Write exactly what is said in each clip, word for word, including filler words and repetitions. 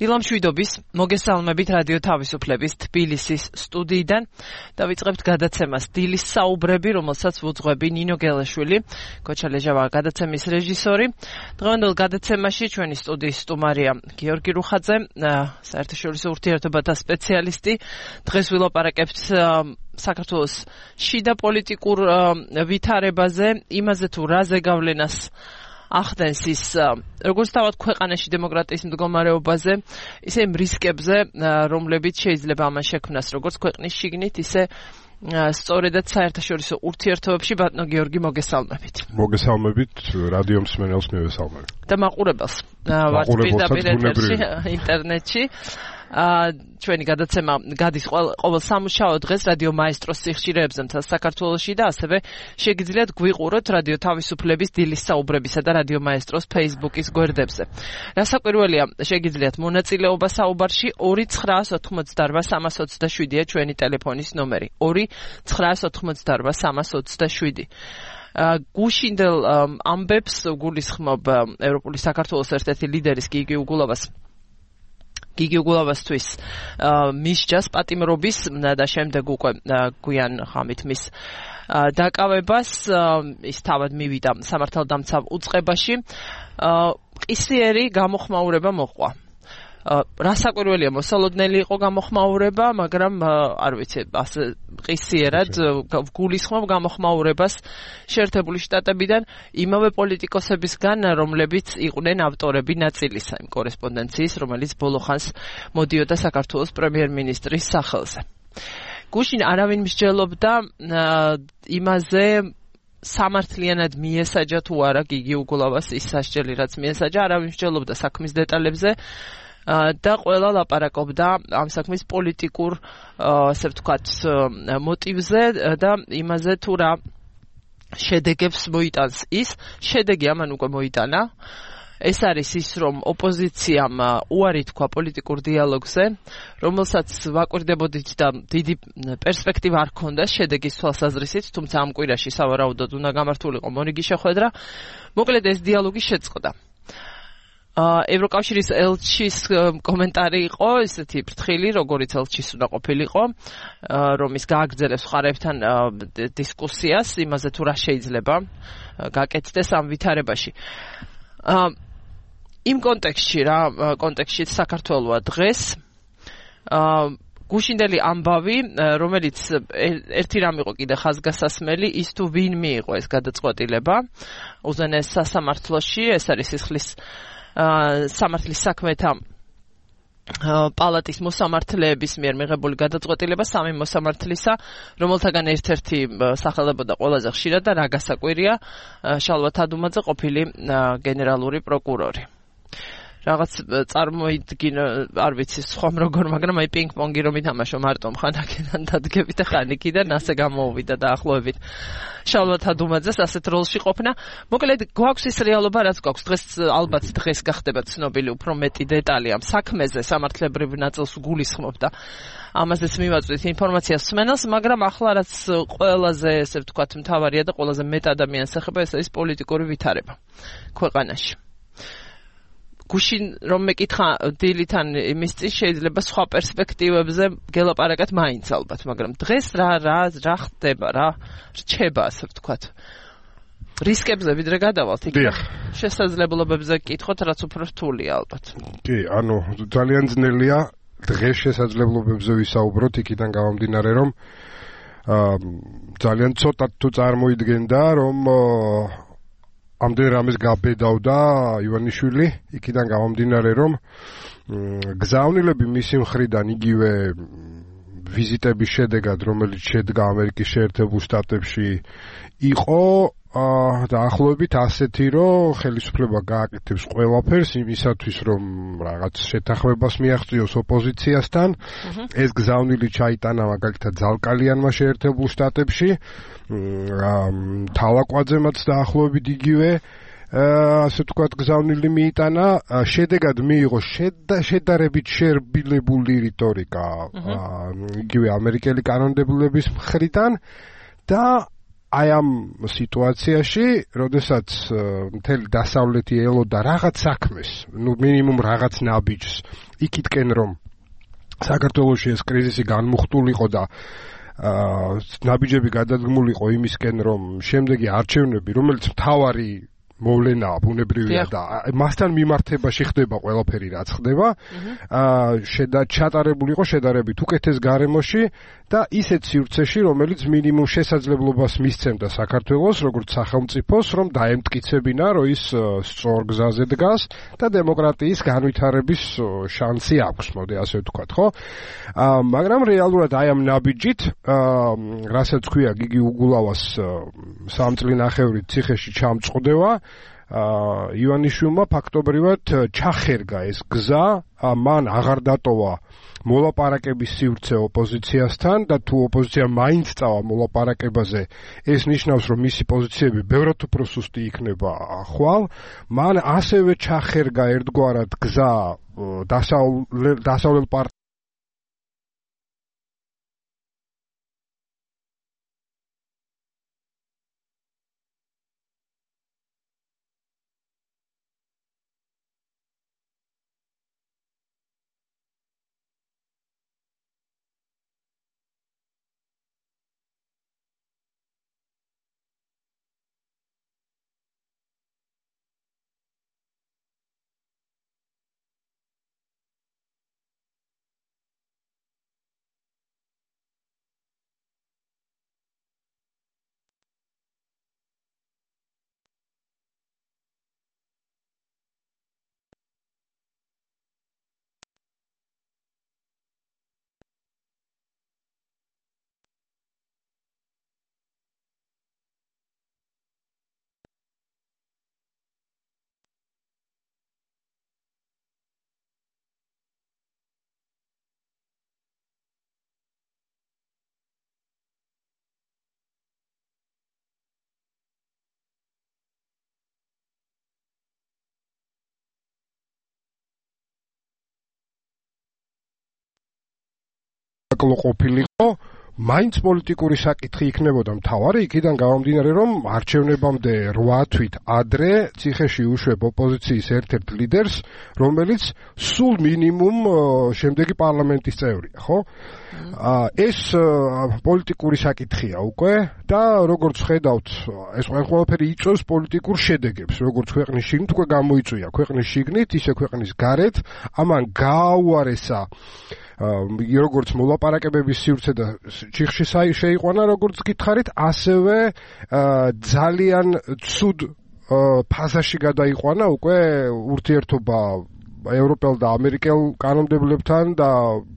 დილამშვიდობის, მოგესალმებით რადიო თავისუფლების თბილისის სტუდიიდან. დავიწყებთ გადაცემას დილის საუბრები, რომელსაც ვუძღვები ნინო გელაშვილი, კოჩა ლეჟავა გადაცემის რეჟისორი. დღევანდელ გადაცემაში ჩვენი სტუდიის სტუმარია გიორგი რუხაძე, საერთაშორისო ურთიერთობათა სპეციალისტი. დღეს ვილაპარაკებთ საქართველოს შიდა პოლიტიკურ ვითარებაზე, იმაზე თუ რა ზეგავლენას ახდენს ის როგორც თავად ქვეყანაში დემოკრატიის მდგომარეობაზე, ისე იმ რისკებზე, რომლებიც შეიძლება ამან შექმნას როგორც ქვეყნის შიგნით, ისე სწორედაც საერთაშორისო ურთიერთობებში. ბატონო გიორგი, მოგესალმებით. მოგესალმებით, რადიო მსმენელს მივესალმებ. და მაყურებელს ვართ პირდაპირ ეთერში ინტერნეტში. ჩვენი გადაცემა გადის ყოველ სამუშაო დღეს რადიო მაესტროს სიხშირეებზე მთელ საქართველოში და ასევე შეგიძლიათ გვიყუროთ რადიო თავისუფლების დილის საუბრებისა და რადიო მაესტროს Facebook-ის გვერდებზე. რასაკვირველია, შეგიძლიათ მონაწილეობა საუბარში ორი ცხრაას ოთხმოცდარვა სამას ოცდაშვიდია ჩვენი ტელეფონის ნომერი. ორი ცხრაას ოთხმოცდარვა სამას ოცდაშვიდი. გუშინდელ ამბებს გულისხმობ ევროპული საქართველოს ერთ-ერთი ლიდერის გიგი უგულავას გიგი უგულავასთვის მისჯას პატიმრობის და შემდეგ უკვე გვიან ხამით მის დაკავებას ის თავად მივიდა სამართალდამცავ უწყებაში. ყისიერი გამოხმაურება მოყვა. რასაკვირველია, მოსალოდნელი იყო გამოხმაურება, მაგრამ არ ვიცი, ასე ყისიერად გულისხმობ გამოხმაურებას შეერთებული შტატებიდან იმავე პოლიტიკოსებისგან, რომლებიც იყვნენ ავტორები ნაწილისა იმ კორესპონდენციის, რომელიც ბოლო ხანს მოდიოდა საქართველოს პრემიერ-მინისტრის სახელზე. გუშინ არავინ მსჯელობდა იმაზე, სამართლიანად მიესაჯა თუ არა გიგი უგულავას ის სასჯელი, რაც მიესაჯა, არავინ მსჯელობდა საქმის დეტალებზე და ყველა ლაპარაკობდა ამ საქმის პოლიტიკურ, ასე ვთქვათ, მოტივზე და იმაზე თუ რა შედეგებს მოიტანს ის. შედეგი ამან უკვე მოიტანა. ეს არის ის, რომ ოპოზიციამ უარი თქვა პოლიტიკურ დიალოგზე, რომელსაც ვაკვირდებოდით და დიდი პერსპექტივა არ ჰქონდა შედეგის თვალსაზრისით, თუმცა ამ კვირაში სავარაუდოდ უნდა გამართულიყო მონიგი შეხვედრა. მოკლედ ეს დიალოგი შეწყდა. ევროკავშირის ელჩის კომენტარი იყო ისეთი ფრთხილი, როგორიც ელჩის უნდა ყოფილიყო, რომ ის გააგრძელებს მხარეებთან დისკუსიას იმაზე თუ რა შეიძლება გაკეთდეს ამ ვითარებაში. იმ კონტექსტში რა კონტექსტში საქართველოა დღეს გუშინდელი ამბავი, რომელიც ერთი რამ იყო კიდე ხაზგასასმელი, ის თუ ვინ მიიღო ეს გადაწყვეტილება უზენაეს სასამართლოში, ეს არის სისხლის სამართლის საქმეთა პალატის მოსამართლეების მიერ მიღებული გადაწყვეტილება სამი მოსამართლისა, რომელთაგან ერთ-ერთი სახელდებოდა ყველაზე ხშირად და რა გასაკვირია, შალვა თადუმაძე ყოფილი გენერალური პროკურორი. რაღაც წარმოიდგინ, არ ვიცი სხვამ როგორ, მაგრამ აი პინგ-პონგი რომ ითამაშო მარტო ხანაკიდან დადგებით და ხანიკიდან ასე გამოუვიდა დაახლოებით შალვა თადუმაძეს ასეთ როლში ყოფნა. მოკლედ გვაქვს ის რეალობა, რაც გვაქვს დღეს, ალბათ დღეს გახდება ცნობილი უფრო მეტი დეტალი ამ საქმეზე, სამართლებრივ ნაწილს გულისხმობ და ამაზეც მივაწვით ინფორმაციას მსმენელს, მაგრამ ახლა რაც ყველაზე, ესე ვთქვათ, მთავარია და ყველაზე მეტ ადამიანს ეხება, ეს არის პოლიტიკური ვითარება ქვეყანაში. გუშინ რომ მეკითხა დილიდან იმის წინ შეიძლება სხვა პერსპექტივებზე გელაპარაკოთ მაინც ალბათ, მაგრამ დღეს რა რა რა ხდება, რა რჩება, ასე ვთქვათ. რისკებზე ვიდრე გადავალთ, იქ შესაძლებლობებზე გკითხოთ, რაც უფრო რთულია ალბათ. კი, ანუ ძალიან ძნელია დღეს შესაძლებლობებზე ვისაუბროთ, იქიდან გამომდინარე, რომ ძალიან ცოტა თუ წარმოიდგენდა, რომ ამდენ რამეს გაბედავდა ივანიშვილი, იქიდან გამომდინარე, რომ გზავნილები მისი მხრიდან იგივე ვიზიტების შედეგად, რომელიც შედგა ამერიკის შეერთებულ შტატებში, იყო დაახლოებით ასეთი, რომ ხელისუფლება გააკეთებს ყველაფერს იმისათვის, რომ რაღაც შეთანხმებას მიაღწიოს ოპოზიციასთან. ეს გზავნილი ჩაიტანა მაგალითად ძალკალიანმა შეერთებულ შტატებში, თავაკვაძემაც დაახლოებით იგივე ასე ვთქვათ გზავნილი მიიტანა, შედეგად მიიღო შედარებით შერბილებული რიტორიკა იგივე ამერიკელი კანონმდებლობის მხრიდან და აი ამ სიტუაციაში, როდესაც მთელი დასავლეთი ელოდა რაღაც საქმეს, ნუ მინიმუმ რაღაც ნაბიჯს, იქითკენ რომ საქართველოში ეს კრიზისი განმუხტულიყო და ნაბიჯები გადადგმულიყო იმისკენ, რომ შემდეგი არჩევნები, რომელიც მთავარი მოვლენაა, ბუნებრივია და მასთან მიმართებაში ხდება ყველაფერი, რაც ხდება, აა ჩატარებულიყო შედარებით უკეთეს გარემოში და ისეთ სივრცეში, რომელიც მინიმუმ შესაძლებლობას მისცემდა საქართველოს, როგორც სახელმწიფოს, რომ დაემტკიცებინა, რომ ის სწორ გზაზე დგას და დემოკრატიის განვითარების შანსი აქვს, მოდი ასე ვთქვათ, ხო? აა მაგრამ რეალურად აი ამ ნაბიჯით, აა რასაც ქვია, გიგი უგულავას სამწლინახევრით ციხეში ჩამწყდება, აა ივანიშვილმა ფაქტობრივად ჩახერგა ეს გზა, მან აღარ დატოვა მოლაპარაკების სივრცე ოპოზიციასთან და თუ ოპოზიცია მაინც წავა მოლაპარაკებაზე, ეს ნიშნავს, რომ მისი პოზიციები ბევრად უფრო სუსტი იქნება ხვალ, მან ასევე ჩახერგა ერთგვარად გზა დასავლელ პარტ ყოფილიყო, მაინც პოლიტიკური საკითხი იქნებოდა მთავარი, იქიდან გამომდინარე, რომ არჩევნებამდე რვა თვით ადრე ციხეში უშვებ ოპოზიციის ერთ-ერთ ლიდერს, რომელიც სულ მინიმუმ შემდეგი პარლამენტის წევრია, ხო? ეს პოლიტიკური საკითხია უკვე და როგორც ხედავთ, ეს ყველაფერი იწვევს პოლიტიკურ შედეგებს, როგორც ქვეყნის შიგნით უკვე გამოიწვია, ქვეყნის შიგნით, ისე ქვეყნის გარეთ, ამან გააუარესა როგორც მოლაპარაკებების სივრცე და ჩიხში შეიყვანა, როგორც გითხარით, ასევე ძალიან ცუდ ფაზაში გადაიყვანა უკვე ურთიერთობა ევროპელ და ამერიკელ კანონმდებლებთან და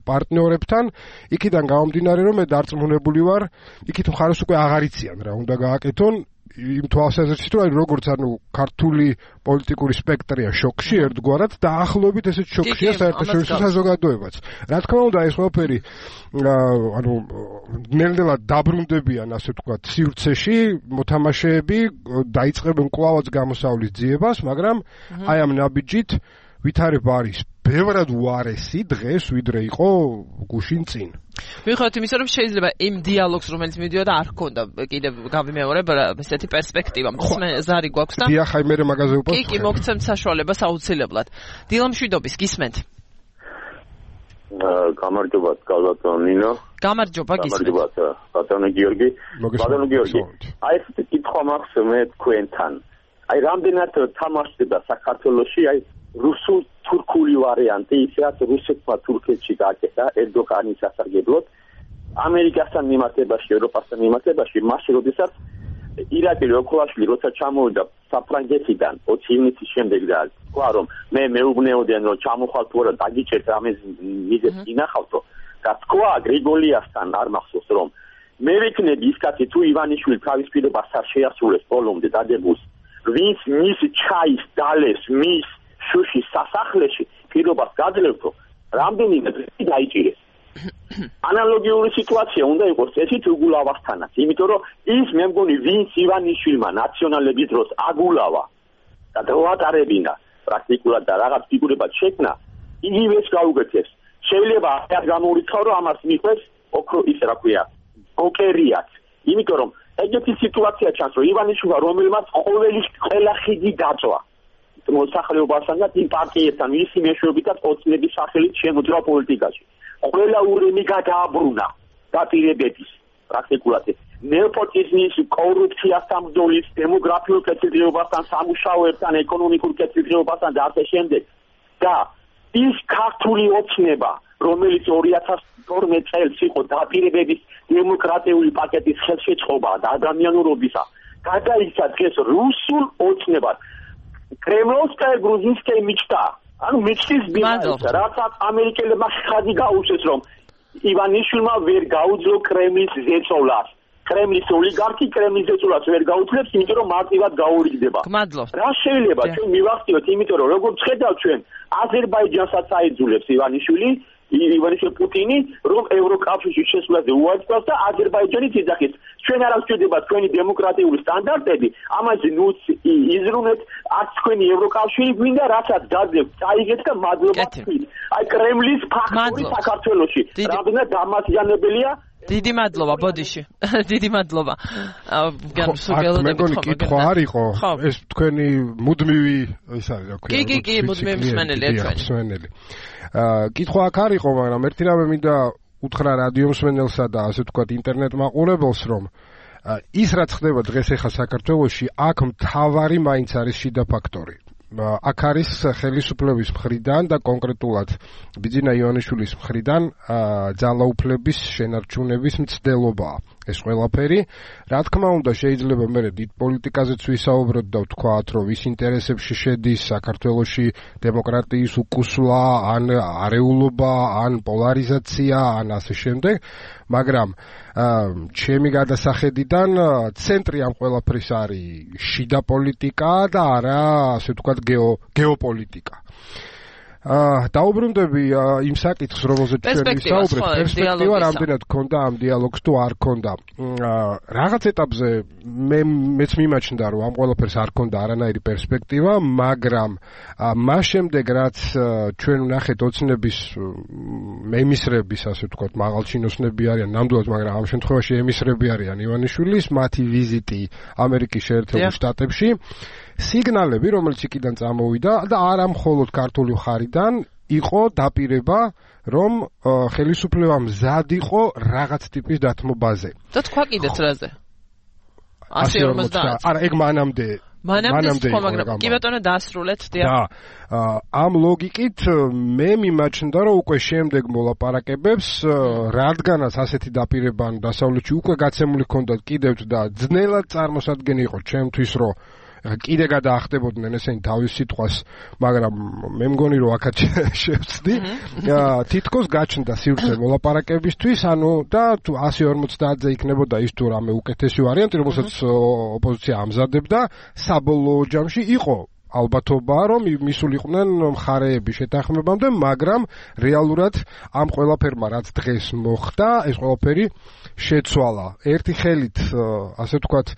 პარტნიორებთან, იქიდან გამომდინარე, რომ მე დარწმუნებული ვარ, იქით მხარეს უკვე აღარ იციან რა უნდა გააკეთონ, იმ თვალსაზრისით, რომ როგორც ანუ ქართული პოლიტიკური სპექტრია შოკში ერთგვარად და ახლობით ესეც შოკშია საერთაშორისო საზოგადოებაც. რა თქმა უნდა, ეს ყველაფერი ანუ ნელ-ნელა დაბრუნდებიან, ასე ვთქვათ, სივრცეში, მოთამაშეები დაიწყებენ კვლავაც გამოსავლის ძიებას, მაგრამ აი ამ ნაბიჯით ვითარება არის ბევრად უარესი დღეს, ვიდრე იყო გუშინ წინ. მიუხედავად იმისა, რომ შეიძლება იმ დიალოგს, რომელიც მიდიოდა, არ ჰქონდა კიდევ გავიმეორებ ესეთი პერსპექტივა. მე ზარი გვაქვს და დიახ, აი მე მაგაზე ვუპოვებ. კი, კი, მოგცემთ საშუალებას აუცილებლად. დილა მშვიდობის, გისმენთ? გამარჯობა, გალბატონინო. გამარჯობა, გისმენთ. გამარჯობა, ბატონო გიორგი. ბატონო გიორგი. აი ეს კითხვა მაქვს მე თქვენთან. აი რამდენად თამაშდება საქართველოში აი რუსულ თურქული ვარიანტი, ისაც რუსეთმა თურქეთში გააკეთა ერდოღანის სასარგებლოდ, ამერიკასთან მიმართებაში, ევროპასთან მიმართებაში, მაშინ როდესაც ირაკლი ოქროაშვილი როცა ჩამოვიდა საფრანგეთიდან ოცი ივნისის შემდეგ და თქვა რომ მე მეუბნეოდიან რომ ჩამოხვალ თუ არა დაგიჭერთ ამის მიზეზს ინახავთო და თქვა გრიგოლიასთან არ მახსოვს რომ მე ვიქნები ის კაცი თუ ივანიშვილი თავის პირობას არ შეასრულებს ბოლომდე დადებულს ვინც მის ჩაის დალეს მის შუშის სასახლეში პირობას გაძლევთო რამდენიმე დღე დაიჭირეს ანალოგიური სიტუაცია უნდა იყოს ესეთ უგულავასთანაც იმიტომ რომ ის მე მგონი ვინც ივანიშვილმა ნაციონალების დროს აგულავა და დაატარებინა პრაქტიკულად და რაღაც ფიგურებად შექმნა იგივეს გაუგეთეს შეიძლება არ გამოვიწყო რომ ამას მიხვეს ოქრო ის რა ქვია ოკერიაც იმიტომ რომ ეგეთი სიტუაცია ჩანს, რომ ივანიშვილმა რომელმაც ყოველი ყველა ხიდი დაწვა მოსახლეობასთან და იმ პარტიებთან, მისი მეშვეობითაც ოცნების სახელით შემოძრა პოლიტიკაში. ყველა ურემი გადააბრუნა დაპირებების პრაქტიკულად ნეოპოტიზმის, კორუფციასთან ბრძოლის, დემოგრაფიულ კეთილდღეობასთან, სამუშაოებთან, ეკონომიკურ კეთილდღეობასთან და ასე შემდეგ. და ის ქართული ოცნება, რომელიც ორი ათას თორმეტ წელს იყო დაპირებების დემოკრატიული პაკეტის ხელშეწყობა და ადამიანურობისა, გადაიქცა დღეს რუსულ ოცნებას. კრემლოვსკაია გრუზინსკაია მიჩნდა, ანუ მიჩნდის ბიზნესს, რასაც ამერიკელებმა ხაზი გაუშვეს, რომ ივანიშვილმა ვერ გაუძლო კრემლის ზეწოლას. კრემლის ოლიგარქი კრემლის ზეწოლას ვერ გაუძლებს, იმიტომ რომ მარტივად გაურიგდება. რა შეიძლება ჩვენ მივახციოთ, იმიტომ რომ როგორც ხედავთ ჩვენ, აზერბაიჯანსაც აიძულებს ივანიშვილი, ივანიშვილი პუტინი, რომ ევროკავშირში შესვლაზე უარწევს და აზერბაიჯანიც იძახის. ჩვენ არ გვჭირდება თქვენი დემოკრატიული სტანდარტები, ამაზე ნუც იზრუნეთ, არც თქვენი ევროკავშირი გვინდა, რასაც გაძევთ, წაიგეთ და მადლობა თქვით. აი კრემლის ფაქტორი საქართველოში, რამდენად დამაზიანებელია. დიდი მადლობა ბოდიში. დიდი მადლობა. განსულელოდებით ხო. მე კითხვა არ იყო, ეს თქვენი მუდმივი ის არის რა ქვია. კი, კი, კი, მუდმივი მსმენელია თქვენი. მსმენელი. აა კითხვა აქ არ იყო, მაგრამ ერთი რამე მინდა უთხრა რადიო მსმენელსა და ასე ვთქვათ ინტერნეტ მაყურებელს, რომ ის რაც ხდება დღეს ახლა საქართველოში, აქ მთავარი მაინც არის შიდა ფაქტორი. აქ არის ხელისუფლების მხრიდან და კონკრეტულად ბიძინა ივანიშვილის მხრიდან ძალაუფლების შენარჩუნების მცდელობა. ეს ყველაფერი, რა თქმა უნდა, შეიძლება მე დიდ პოლიტიკაზეც ვისაუბროთ და ვთქვათ, რომ ვის ინტერესებში შედის საქართველოში დემოკრატიის უკუსვლა, ან არეულობა, ან პოლარიზაცია, ან ასე შემდეგ, მაგრამ ჩემი გადასახედიდან ცენტრი ამ ყველაფრის არის შიდა პოლიტიკა და არა, ასე ვთქვათ, გეოპოლიტიკა. აა დაუბრუნდები იმ საკითხს, რომელზეც ჩვენ ვისაუბრეთ, პერსპექტივა რამდენად გქონდა ამ დიალოგს თუ არ გქონდა. რაღაც ეტაპზე მე მეც მიმაჩნდა, რომ ამ ყველაფერს არ გქონდა არანაირი პერსპექტივა, მაგრამ მას შემდეგ რაც ჩვენ ვნახეთ ოცნების ემისრების, ასე ვთქვათ, მაღალჩინოსნები არიან, ნამდვილად, მაგრამ ამ შემთხვევაში ემისრები არიან ივანიშვილის, მათი ვიზიტი ამერიკის შეერთებულ შტატებში, სიგნალები, რომელიც იქიდან წამოვიდა და არა მხოლოდ ქართული მხარიდან, იყო დაპირება, რომ ხელისუფლება მზად იყო რაღაც ტიპის დათმობაზე. და თქვა კიდეც რაზე? ასი ორმოცდაათი. არა, ეგ მანამდე მანამდე იყო, მაგრამ კი ბატონო დაასრულეთ, დიახ. და ამ ლოგიკით მე მიმაჩნდა, რომ უკვე შემდეგ მოლაპარაკებებს, რადგანაც ასეთი დაპირება დასავლეთში უკვე გაცემული ჰქონდათ კიდევ და ძნელად წარმოსადგენი იყო ჩემთვის, რომ კიდე გადაახდებოდნენ ესენი თავის სიტყვას, მაგრამ მე მგონი რომ აქაც შევწდი. თითქოს გაჩნდა სივრცე მოლაპარაკებისთვის, ანუ და თუ ასი ორმოცდაათზე იქნებოდა ის თუ რამე უკეთესი ვარიანტი, რომელსაც ოპოზიცია ამზადებდა, საბოლოო ჯამში იყო ალბათობა, რომ მისულიყვნენ მხარეები შეთანხმებამდე, მაგრამ რეალურად ამ ყველაფერმა რაც დღეს მოხდა, ეს ყველაფერი შეცვალა. ერთი ხელით, ასე ვთქვათ,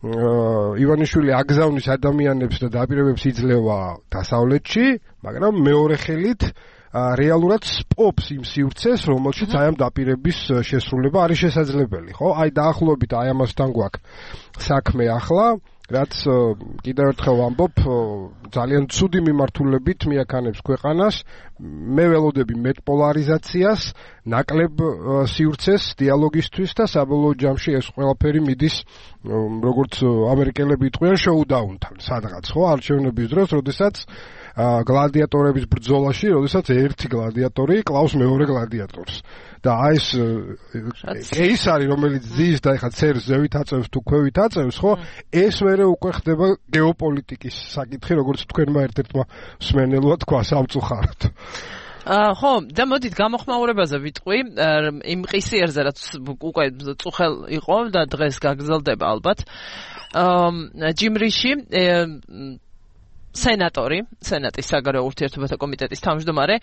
ივანიშვილი აგზავნის ადამიანებს და დაპირებებს იძლევა დასავლეთში, მაგრამ მეორე ხელით რეალურად სპობს იმ სივრცეს, რომელშიც აი ამ დაპირების შესრულება არის შესაძლებელი, ხო? აი დაახლოებით აი ამასთან გვაქვს საქმე ახლა, რაც კიდევ ერთხელ ვამბობ, ძალიან ცუდი მიმართულებით მიაქანებს ქვეყანას. მე ველოდები მეტ პოლარიზაციას, ნაკლებ სივრცეს დიალოგისთვის და საბოლოო ჯამში ეს ყველაფერი მიდის, როგორც ამერიკელები იტყვიან, შოუდაუნთან, სადღაც, ხო, არჩევნების დროს, როდესაც გლადიატორების ბრძოლაში, როდესაც ერთი გლადიატორი კლავს მეორე გლადიატორს. და აი ეს კეისარი, რომელიც ძის და ეხა ცერს ზევით აწევს თუ ქვევით აწევს, ხო? ეს მერე უკვე ხდება გეოპოლიტიკის საკითხი, როგორც თქვენმა ერთ-ერთმა მსმენელმა თქვა სამწუხაროდ. აა ხო, და მოდით გამოხმაურებაზე ვიტყვი, იმ ყისიერზე რაც უკვე წუხელ იყო და დღეს გაგრძელდება ალბათ. აა ჯიმრიში სენატორი, სენატის საგარეო ურთიერთობათა კომიტეტის თავმჯდომარე,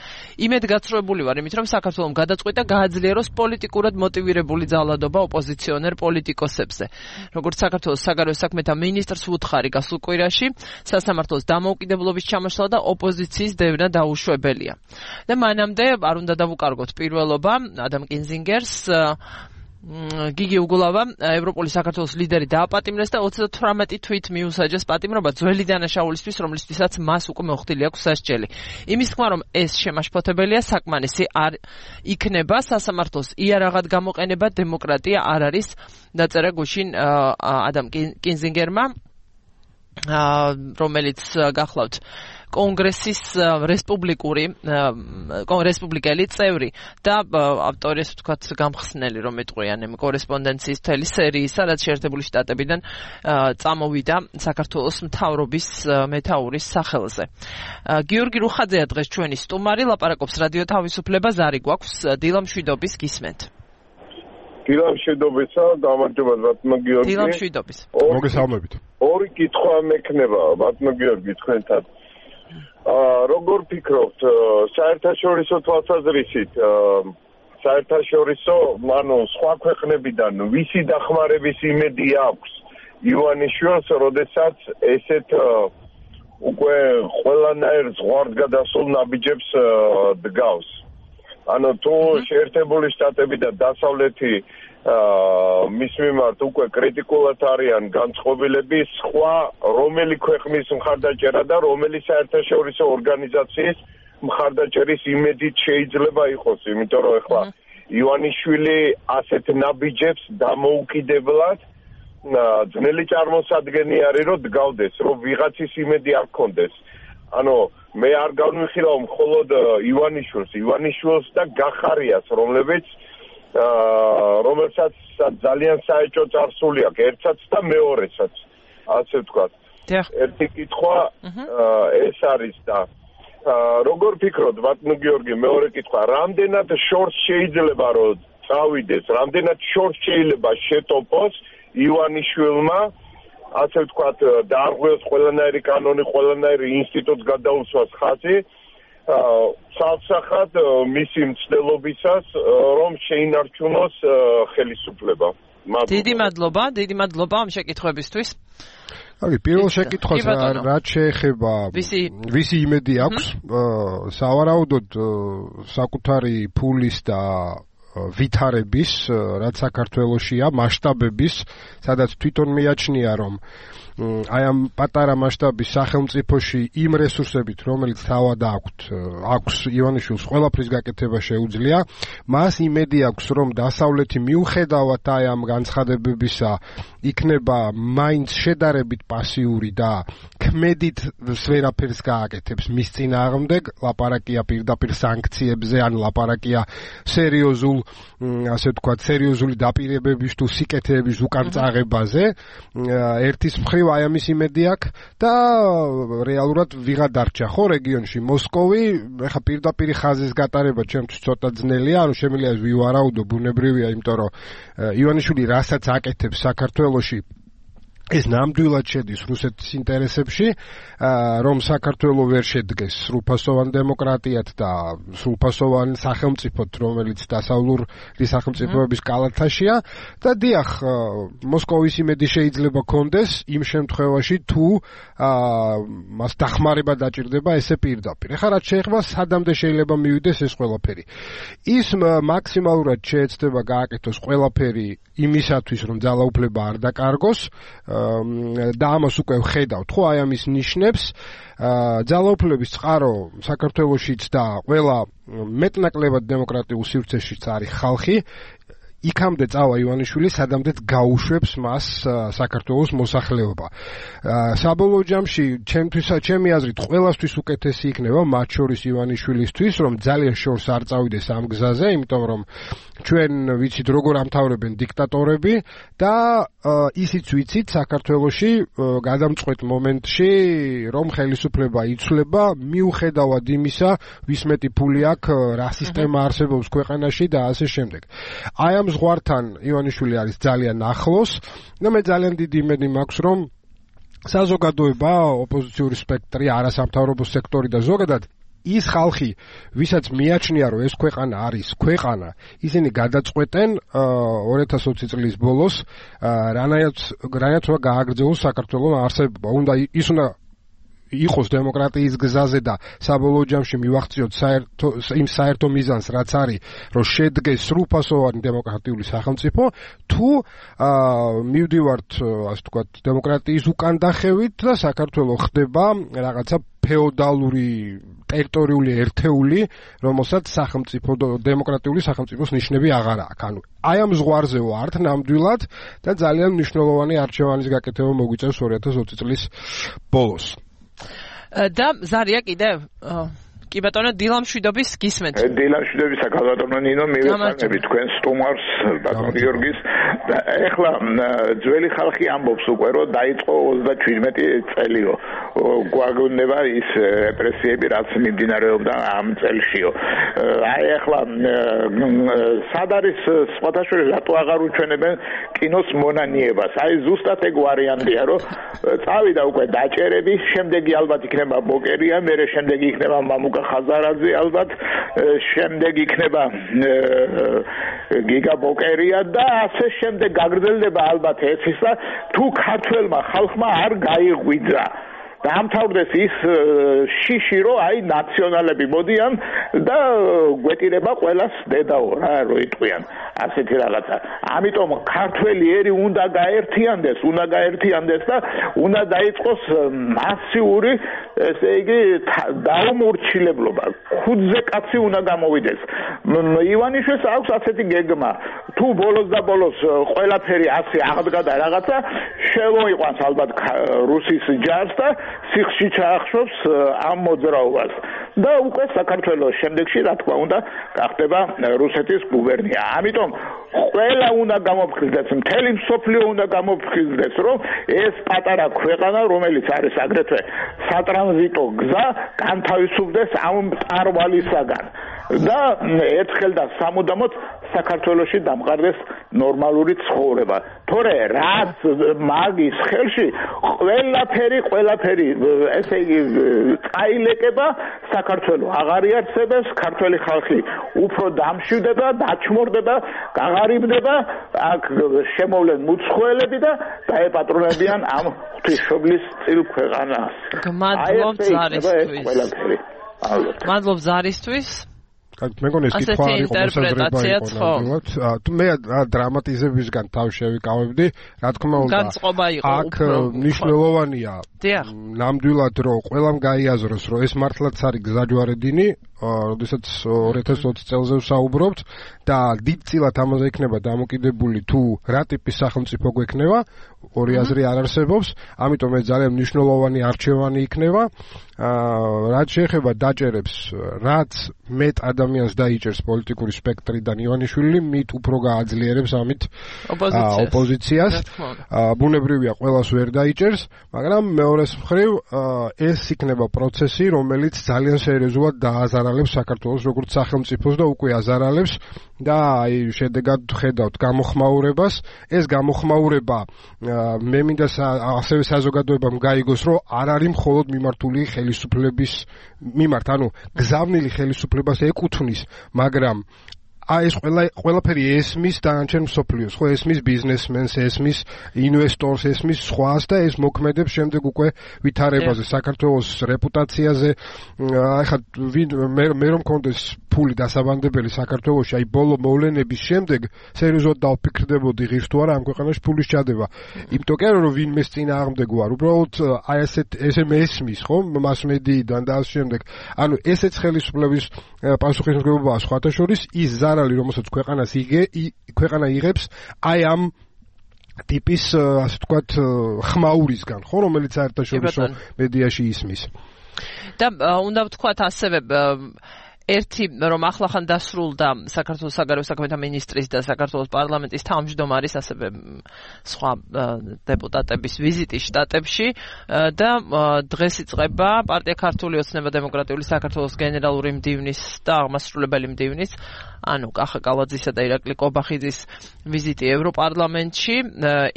იმედგაცრუებული ვარ იმით, რომ საქართველოს გადაწყვიტა გააძლიეროს პოლიტიკურად მოტივირებული ძალადობა ოპოზიციონერ პოლიტიკოსებზე. როგორც საქართველოს საგარეო საქმეთა მინისტრს უთხარი გასულ კვირაში, სასამართლოს დამოუკიდებლობის ჩამოშლა და ოპოზიციის დევნა დაუშვებელია. და მანამდე არ უნდა დავუკარგოთ პირველობა ადამ კინზინგერს გიგი უგულავა, ევროპული საქართველოს ლიდერი დააპატიმრეს და ოცდათვრამეტი თვით მიუსაჯეს პატიმრობა ძველი დანაშაულისთვის, რომლისთვისაც მას უკვე მოხდილი აქვს სასჯელი. იმის თქმა, რომ ეს შემაშფოთებელია, საკმარისი არ იქნება სასამართლოს იარაღად გამოყენება დემოკრატია არ არის, დაწერა გუშინ ადამ კინზინგერმა, რომელიც გახლავთ კონგრესის რესპუბლიკური რესპუბლიკელი წევრი და ავტორი, ასე ვთქვათ, გამხსნელი, რომ ეტყვიან იმ კორესპონდენციის მთელი სერიის, სადაც შეერთებული შტატებიდან წამოვიდა საქართველოს მთავრობის მეთაურის სახელზე. გიორგი რუხაძეა დღეს ჩვენი სტუმარი, ლაპარაკობს რადიო თავისუფლება, ზარი გვაქვს, დილა მშვიდობის გისმენთ. დილა მშვიდობისა, გამარჯობა ბატონო გიორგი. დილა მშვიდობის. მოგესალმებით. ორი კითხვა მექნება ბატონო გიორგი თქვენთან. როგორ ფიქრობთ, საერთაშორისო თვალსაზრისით, საერთაშორისო, ანუ სხვა ქვეყნებიდან ვისი დახმარების იმედი აქვს ივანიშვილს, როდესაც ესეთ უკვე ყველანაირ ზღვარგადასულ ნაბიჯებს დგავს. ანუ თუ შეერთებული შტატები და დასავლეთი მის მიმართ უკვე კრიტიკულად არიან განწყობილები, სხვა რომელი ქვეყნის მხარდაჭერა და რომელი საერთაშორისო ორგანიზაციის მხარდაჭერის იმედით შეიძლება იყოს, იმიტომ რომ ეხლა ივანიშვილი ასეთ ნაბიჯებს დამოუკიდებლად ძნელი წარმოსადგენი არის, რომ დგავდეს, რომ ვიღაცის იმედი არ გქონდეს. ანუ მე არ განვიხილავ მხოლოდ ივანიშვილს, ივანიშვილს და გახარიას, რომლებიც რომელსაც ძალიან საეჭვო წარსული აქვს, ერთსაც და მეორესაც, ასე ვთქვათ. ერთი კითხვა ეს არის და როგორ ფიქრობთ, ბატონო გიორგი, მეორე კითხვა, რამდენად შორს შეიძლება რომ წავიდეს, რამდენად შორს შეიძლება შეტოპოს ივანიშვილმა, ასე ვთქვათ, დაარღვევს ყველანაირი კანონი, ყველანაირი ინსტიტუტს გადაუსვას ხაზი, ცალსახად მისი მცდელობისას, რომ შეინარჩუნოს ხელისუფლება. დიდი მადლობა, დიდი მადლობა ამ შეკითხვებისთვის. აი, პირველ შეკითხვას რაც შეეხება ვისი იმედი აქვს, სავარაუდოდ საკუთარი ფულის და ვითარების, რაც საქართველოშია, მასშტაბების, სადაც თვითონ მიაჩნია, რომ აი ამ პატარა მასშტაბის სახელმწიფოში იმ რესურსებით, რომელიც თავად აქვთ, აქვს ივანიშვილს ყველაფრის გაკეთება შეუძლია, მას იმედი აქვს, რომ დასავლეთი მიუხედავად აი ამ განცხადებებისა იქნება მაინც შედარებით პასიური და ქმედით ვერაფერს გააკეთებს მის წინააღმდეგ, ლაპარაკია პირდაპირ სანქციებზე, ან ლაპარაკია სერიოზულ, ასე ვთქვათ, სერიოზული დაპირებების თუ სიკეთეების უკან წაღებაზე, ერთის მხრივ აი ამის იმედი აქვს და რეალურად ვიღა დარჩა ხო რეგიონში მოსკოვი, ეხა პირდაპირ ხაზის გატარება ჩემთვის ცოტა ძნელია, ანუ შემიძლია ვივარაუდო, ბუნებრივია, იმიტომ რომ ივანიშვილი რასაც აკეთებს საქართველოში ეს ნამდვილად შედის რუსეთის ინტერესებში, რომ საქართველო ვერ შედგეს სრულფასოვან დემოკრატიად და სრულფასოვან სახელმწიფოდ, რომელიც დასავლური სახელმწიფოების კალათაშია და დიახ, მოსკოვის იმედი შეიძლება კონდეს იმ შემთხვევაში, თუ მას დახმარება დაჭირდება ესე პირდაპირ. ეხლა რაც შეეხება სადამდე შეიძლება მივიდეს ეს ყველაფერი. ის მაქსიმალურად შეეცდება გააკეთოს ყველაფერი იმისათვის, რომ ძალაუფლება არ დაკარგოს, და ამას უკვე ვხედავთ, ხო, აი ამის ნიშნებს, ძალაუფლების წყარო საქართველოშიც და ყველა მეტნაკლებად დემოკრატიულ სივრცეშიც არის ხალხი, იქამდე წავა ივანიშვილი, სადამდეც გაუშვებს მას საქართველოს მოსახლეობა. საბოლოო ჯამში, ჩემთვის, ჩემი აზრით, ყველასთვის უკეთესი იქნება, მათ შორის ივანიშვილისთვის, რომ ძალიან შორს არ წავიდეს ამ გზაზე, იმიტომ რომ ჩვენ ვიცით როგორ ამთავრებენ დიქტატორები და ისიც ვიცით საქართველოში გადამწყვეტ მომენტში, რომ ხელისუფლება იცვლება, მიუხედავად იმისა, ვის მეტი ფული აქვს, რა სისტემა არსებობს ქვეყანაში და ასე შემდეგ. აი ამ ზღვართან ივანიშვილი არის ძალიან ახლოს და მე ძალიან დიდი იმედი მაქვს, რომ საზოგადოება, ოპოზიციური სპექტრი, არასამთავრობო სექტორი და ზოგადად ის ხალხი, ვისაც მიაჩნია, რომ ეს ქვეყანა არის ქვეყანა, ისინი გადაწყვეტენ ორი ათას ოცი წლის ბოლოს, რანაირად რანაირად გააგრძელოს საქართველოს არსებობა. უნდა ის უნდა იყოს დემოკრატიის გზაზე და საბოლოო ჯამში მივახციოთ საერთო იმ საერთო მიზანს, რაც არის, რომ შედგეს სრულფასოვანი დემოკრატიული სახელმწიფო, თუ მივდივართ, ასე ვთქვათ, დემოკრატიის უკანდახევით და საქართველოს ხდება რაღაცა ფეოდალური ტერიტორიული ერთეული, რომელსაც სახელმწიფო დემოკრატიული სახელმწიფოს ნიშნები აღარ აქვს. ანუ აი ამ ზღვარზე ვართ ნამდვილად და ძალიან მნიშვნელოვანი არჩევანის გაკეთება მოგვიწევს ორი ათას ოცი წლის ბოლოს. და ზარია კიდევ კი ბატონო დილამშვიდობის გისმენთ. დილამშვიდობის ბატონო ნინო მივესალმები თქვენ სტუმარს ბატონო გიორგის და ეხლა ძველი ხალხი ამბობს უკვე რომ დაიწყო ოცდაშვიდმეტი წელიო გვაგონება ის რეპრესიები რაც მიმდინარეობდა ამ წელშიო. აი ეხლა სად არის სხვათა შორის რატო აღარ უჩვენებენ კინოს მონანიებას? აი ზუსტად ეგ ვარიანტია რომ წავიდა უკვე დაჭერები, შემდეგი ალბათ იქნება ბოკერია, მერე შემდეგი იქნება მამუკა ხაზარაძე ალბათ, შემდეგ იქნება გიგა ბოკერია და ასე შემდეგ გაგრძელდება ალბათ ეს ისა თუ ქართველმა ხალხმა არ გაიღვიძა. დაამთავრდეს ის შიში რომ აი ნაციონალები მოდიან და გვეტირება ყველას დედაო რა რო იტყვიან ასეთი რაღაცა. ამიტომ ქართველი ერი უნდა გაერთიანდეს, უნდა გაერთიანდეს და უნდა დაიწყოს მასიური ესე იგი დაუმორჩილებლობა. ხუთზე კაცი უნდა გამოვიდეს. ივანიშვილს აქვს ასეთი გეგმა. თუ ბოლოს და ბოლოს ყველაფერი ასე აღდგა და რაღაცა შემოიყვანს ალბათ რუსის ჯარს და სიხში ჩაახშობს ამ მოძრაობას და უკვე საქართველოს შემდეგში რა თქმა უნდა გახდება რუსეთის გუბერნია. ამიტომ ყველა უნდა გამოფხიზდეს, მთელი მსოფლიო უნდა გამოფხიზდეს, რომ ეს პატარა ქვეყანა, რომელიც არის აგრეთვე სატრანზიტო გზა, განთავისუფლდეს ამ მწარვალისაგან და ერთხელ და სამუდამოდ საქართველოში დამყარდეს ნორმალური ცხოვრება. თორე რაც მაგის ხელში ყველაფერი ყველაფერი ესე იგი წაილეკება, საქართველოს აღარ იარსებებს, ქართველი ხალხი უფრო დამშვიდება, დაჩმორდება, გაღარიბდება, აქ შემოვლენ მუცხოველები და დაეპატრონებიან ამ ღვთისმშობლის წილ ქვეყანას. გმადლობ ზარისთვის. მადლობ ზარისთვის. მეგონი ეს კითხვა არის მოსაზრება იყო. მე დრამატიზებისგან თავ შევიკავებდი, რა თქმა უნდა. განწყობა იყო აქ მნიშვნელოვანია. ნამდვილად რომ ყველამ გაიაზროს, რომ ეს მართლაც არის გზაჯვარედინი, როდესაც ორი ათას ოცი წელზე ვსაუბრობთ და დიდწილად ამაზე იქნება დამოკიდებული თუ რა ტიპის სახელმწიფო გვექნება, ორი აზრი არ არსებობს, ამიტომ ეს ძალიან მნიშვნელოვანი არჩევანი იქნება. რაც შეეხება დაჭერებს, რაც მეტ ადამიანს დაიჭერს პოლიტიკური სპექტრიდან ივანიშვილი, მით უფრო გააძლიერებს ამით ოპოზიციას. ბუნებრივია ყველას ვერ დაიჭერს, მაგრამ მეორეს მხრივ ეს იქნება პროცესი, რომელიც ძალიან სერიოზულად დააზარალებს საქართველოს როგორც სახელმწიფოს და უკვე აზარალებს და აი შედეგად ხედავთ გამოხმაურებას. ეს გამოხმაურება მე მინდა ასევე საზოგადოებამ გაიგოს, რომ არ არის მხოლოდ მიმართული ხელისუფლების მიმართ, ანუ გზავნილი ხელისუფლებას ეკუთვნის, მაგრამ აი ეს ყველა ყველაფერი ესმის დანარჩენ მსოფლიოს, ხო, ესმის ბიზნესმენს, ესმის ინვესტორს, ესმის სხვას და ეს მოქმედებს შემდეგ უკვე ვითარებაზე, საქართველოს რეპუტაციაზე. აი ხა მე რომ მქონდეს ფული დასაბანდებელი საქართველოში, აი ბოლო მოვლენების შემდეგ სერიოზულად დავფიქრდებოდი ღირს თუ არა ამ ქვეყანაში ფულის ჩადება. იმიტომ კი არა რომ ვინმეს წინააღმდეგ ვარ, უბრალოდ აი ესეთ ესე მესმის, ხო, მასმედიიდან და ამ შემდეგ. ანუ ესეც ხელისუფლების პასუხისმგებლობაა სხვათა შორის ის ზარალი, რომელსაც ქვეყანას იგე, ქვეყანა იღებს აი ამ ტიპის, ასე ვთქვათ, ხმაურისგან, ხო, რომელიც საერთაშორისო მედიაში ისმის. და უნდა ვთქვათ ასევე ერთი რომ ახლახან დასრულდა საქართველოს საგარეო საქმეთა მინისტრის და საქართველოს პარლამენტის თავმჯდომარის ასევე სხვა დეპუტატების ვიზიტი შტატებში და დღეს იწყება პარტია ქართული ოცნება დემოკრატიული საქართველოს გენერალური მდივნის და აღმასრულებელი მდივნის ანუ კახა კალაძისა და ირაკლი კობახიძის ვიზიტი ევროპარლამენტში.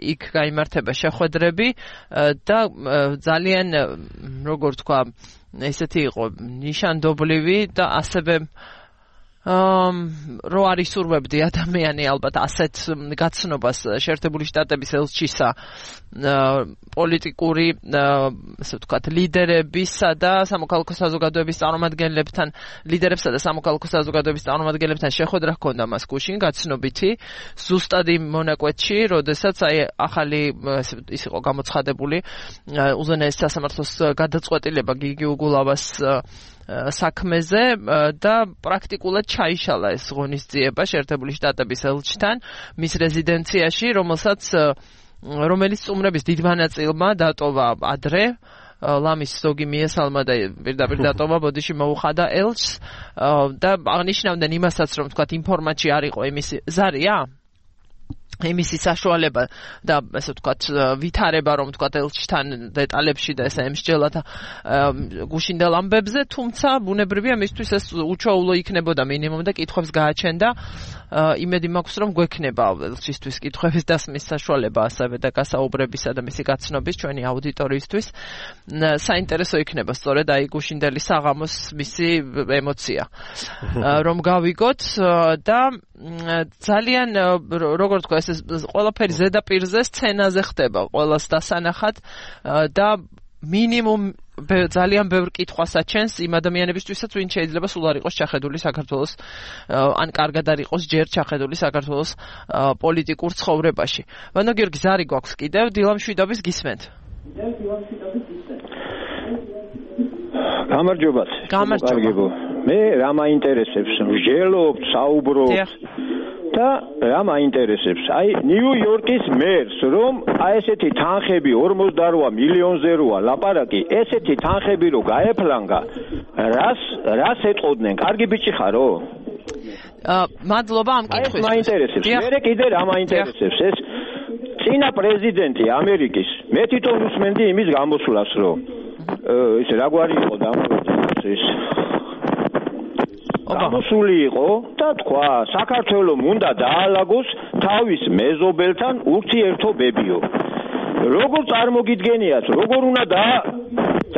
იქ გაიმართება შეხვედრები და ძალიან როგორ თქვა ესეთი იყო ნიშანდობლივი და ასევე რო არის სურვებდი ადამიანი ალბათ ასეთ გაცნობას შეერთებული შტატების ელჩისა პოლიტიკური ასე ვთქვათ ლიდერებისა და სამოქალაქო საზოგადოების წარმომადგენლებთან ლიდერებსა და სამოქალაქო საზოგადოების წარმომადგენლებთან შეხვედრა ჰქონდა მას გუშინ გაცნობითი ზუსტად იმ მონაკვეთში როდესაც აი ახალი ის იყო გამოცხადებული უზენაეს სასამართლოს გადაწყვეტილება გიგი უგულავას საქმეზე და პრაქტიკულად ჩაიშალა ეს ღონისძიება შეერთებული შტატების ელჩთან მის რეზიდენციაში, რომელსაც რომელიც წუმრების დიდმა ნაწილმა დატოვა ადრე ლამის ზოგი მიესალმა და პირდაპირ დატოვა ბოდიში მოუხადა ელჩს და აღნიშნავდნენ იმასაც რომ თქვათ ინფორმაცი არ იყო იმის ზარია იმისი საშუალება და ასე ვთქვათ ვითარება რომ ვთქვათ ელჩთან დეტალებში და ესე ემსჯელათ გუშინდელ ამბებზე თუმცა ბუნებრივია მისთვის ეს უჩვეულო იქნებოდა მინიმუმ და კითხვებს გააჩენდა იმედი მაქვს რომ გვექნება ელჩისთვის კითხვების დასმის საშუალება ასევე და გასაუბრებისა და მისი გაცნობის ჩვენი აუდიტორიისთვის საინტერესო იქნება სწორედ აი გუშინდელი საღამოს მისი ემოცია რომ გავიგოთ და ძალიან როგორ თქვა ეს ყველაფერი ზედაპირზე სცენაზე ხდება ყველას დასანახად და მინიმუმ ძალიან ბევრ კითხვას აჩენს იმ ადამიანებისთვისაც ვინც შეიძლება სულ არ იყოს ჩახედული საქართველოს ან კარგად არ იყოს ჯერ ჩახედული საქართველოს პოლიტიკურ ცხოვრებაში. ვანო გიორგი ზარი გვაქვს კიდევ დილამშვიდობის გისმენთ. გამარჯობა. გამარჯობა. მე რა მაინტერესებს ვჟელობთ საუბრობთ და რა მაინტერესებს აი ნიუ-იორკის მერს რომ აი ესეთი თანხები ორმოცდაოთხ მილიონზე როა ლაპარაკი ესეთი თანხები რო გაეფლანგა რას რას ეტყოდნენ კარგი ბიჭი ხარო მადლობა ამ კითხვისთვის ეს მაინტერესებს მე კიდე რა მაინტერესებს ეს წინა პრეზიდენტი ამერიკის მე თვითონ უსმენდი იმის გამოსვლას რომ ეს რაგვარი იყო დამოუკიდებლობის გამოსული იყო და თქვა საქართველოს უნდა დაალაგოს თავის მეზობელთან ურთიერთობებიო როგორ წარმოგიდგენიათ როგორ უნდა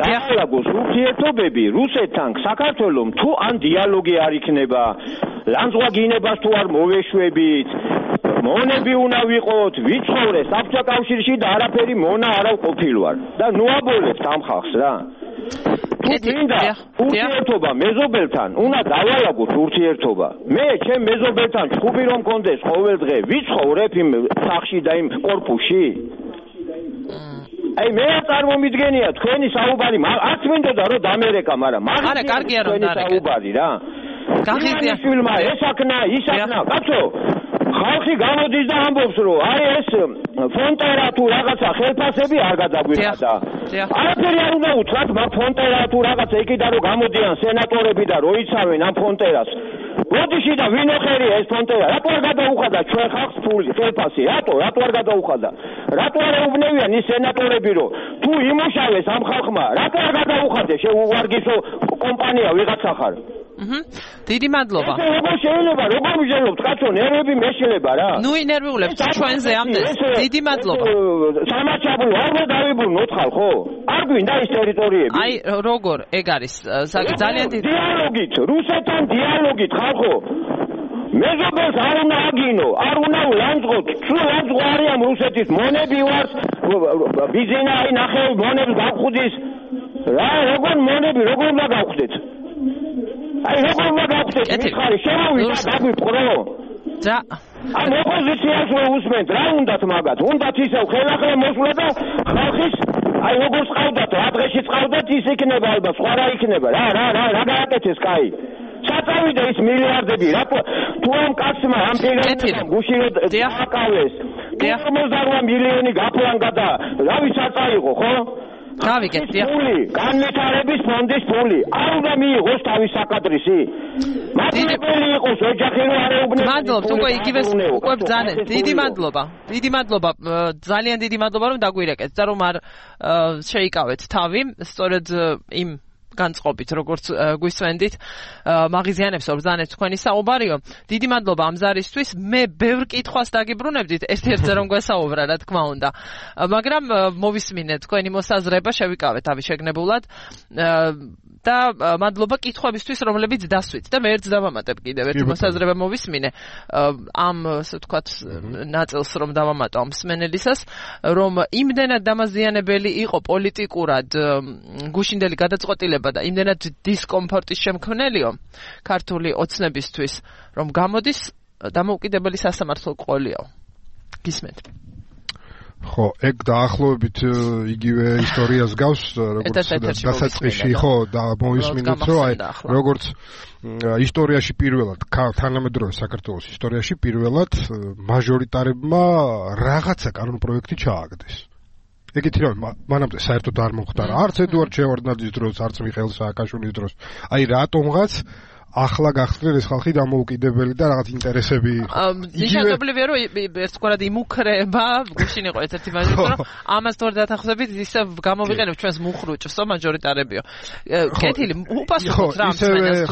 დაალაგოს ურთიერთობები რუსეთთან საქართველოს თუ ან დიალოგი არ იქნება ლანძღვა გინებას თუ არ მოვეშვებით მონები უნდა ვიყოთ ვიცხოვრე საბჭოთა კავშირში და არაფერი მონა არა ყოფილვარ და ნუ აბოლებთ ამ ხალხს რა მინდა ურთიერთობა მეზობელთან უნდა დავალაგოთ ურთიერთობა მე ჩემ მეზობელთან ჩხუბი რომ მქონდეს ყოველდღე ვიცხოვრებ იმ სახში და იმ კორპუსში აი მე წარმომიდგენია თქვენი საუბარი არც მინდოდა რომ დამერეკა მაგრამ არა კარგია რომ დამერეკა საუბარი რა გახიზია ფილმა ესაკნა ისაკნა კაცო ხალხი გამოდის და ამბობს რომ აი ეს ფონტერა თუ რაღაცა ხელფასები არ გადაგვიხადა. არაფერი არ უნდა უთხრათ მაგ ფონტერა თუ რაღაცა იქიდან რომ გამოდიან სენატორები და როიცავენ ამ ფონტერას. ბოდიში და ვინოხერი ეს ფონტერა რატო არ გადაუხადა ჩვენ ხალხს ფული ხელფასი რატო რატო არ გადაუხადა რატო არ ეუბნევიან ის სენატორები რომ თუ იმუშავეს ამ ხალხმა რატო არ გადაუხადეს შეუვარგისო კომპანია ვიღაცა ხარ აჰა დიდი მადლობა როგორ შეიძლება როგორ ვიჟელობთ კაცო ნერვები მეშლება რა ნუ ინერვიულებთ ჩვენზე ამდენ დიდი მადლობა სამაჩაბლო არ დავიბრუნოთ ხალხო არ გვინდა ის ტერიტორიები აი როგორ ეგ არის ძალიან დიდი დიალოგით რუსეთთან დიალოგით ხალხო მეზობელს არ უნდა აგინო არ უნდა ლანძღოთ თუ ლანძღვა არიან რუსეთის მონები ვარს ბიზინა აი ნახე მონებს გავხუდის რა როგორ მონები როგორ უნდა გავხდეთ აი როგორ უნდა გავხდეთ მიხარი შევავიდა დაგვიფყრო და ან ოპოზიციას რო უსმენთ რა უნდათ მაგათ უნდათ ისევ ხელახლა მოსვლა და ხალხის აი როგორ წავდათ რა დღეში წავდათ ის იქნება ალბათ სხვა რა იქნება რა რა რა რა გააკეთეს კაი საწავიდა ის მილიარდები რა თუ ამ კაცმა ამ ფიგურამ გუში რო დააკავეს ორმოცდაოთხ მილიონი გაფლანგა და რა ვის აწაიღო ხო გავიგეთ დიახ ფული განვითარების ფონდის ფული არ უნდა მიიღოს თავის საკადრისი მადლობელი იყოს ოჯახი რო არ ეუბნებს მადლობთ უკვე იგივე უკვე ბძანეთ დიდი მადლობა დიდი მადლობა ძალიან დიდი მადლობა რომ დაგვირეკეთ და რომ არ შეიკავეთ თავი სწორედ იმ განწყობით, როგორც გვისვენდით, მაღიზიანებს ორბზანეთ თქვენი საუბარიო. დიდი მადლობა ამ ზარისთვის. მე ბევრ კითხვას დაგიბრუნებდით, ერთ-ერთზე რომ გვესაუბრა, რა თქმა უნდა. მაგრამ მოვისმინეთ თქვენი მოსაზრება, შევიკავეთ ამის შეგნებულად. და მადლობა კითხვებისთვის, რომლებიც დასვით და მე ერთს დავამატებ კიდევ ერთი მოსაზრება მოვისმინე ამ ასე ვთქვათ ნაწილს რომ დავამატო ამ მსმენელისას, რომ იმდენად დამაზიანებელი იყო პოლიტიკურად გუშინდელი გადაწყვეტილება და იმდენად დისკომფორტის შემქმნელიო ქართული ოცნებისთვის, რომ გამოდის დამოუკიდებელი სასამართლო ყოლიო. გისმენთ? ხო, ეგ დაახლოებით იგივე ისტორიას გავს, როგორც დასაწყისში, ხო, და მოვისმინეთ, რომ აი როგორც ისტორიაში პირველად, თანამედროვე საქართველოს ისტორიაში პირველად მაჟორიტარებმა რაღაცა კანონპროექტი ჩააგდეს. ეგეთი რომ მანამდე საერთოდ არ მომხდარა, არც ედუარდ შევარდნაძის დროს, არც მიხეილ სააკაშვილის დროს. აი რატომღაც ახლა გახსნილ ეს ხალხი დამოუკიდებელი და რაღაც ინტერესები ნიშნავდებია რომ ერთგვარად იმუქრება გუშინ იყო ერთ-ერთი მაჟორიტარი რომ ამას თორ დათანხმდებით ისე გამოვიყენებ ჩვენს მუხრუჭს მაჟორიტარებიო კეთილი უპასუხოთ რა ამას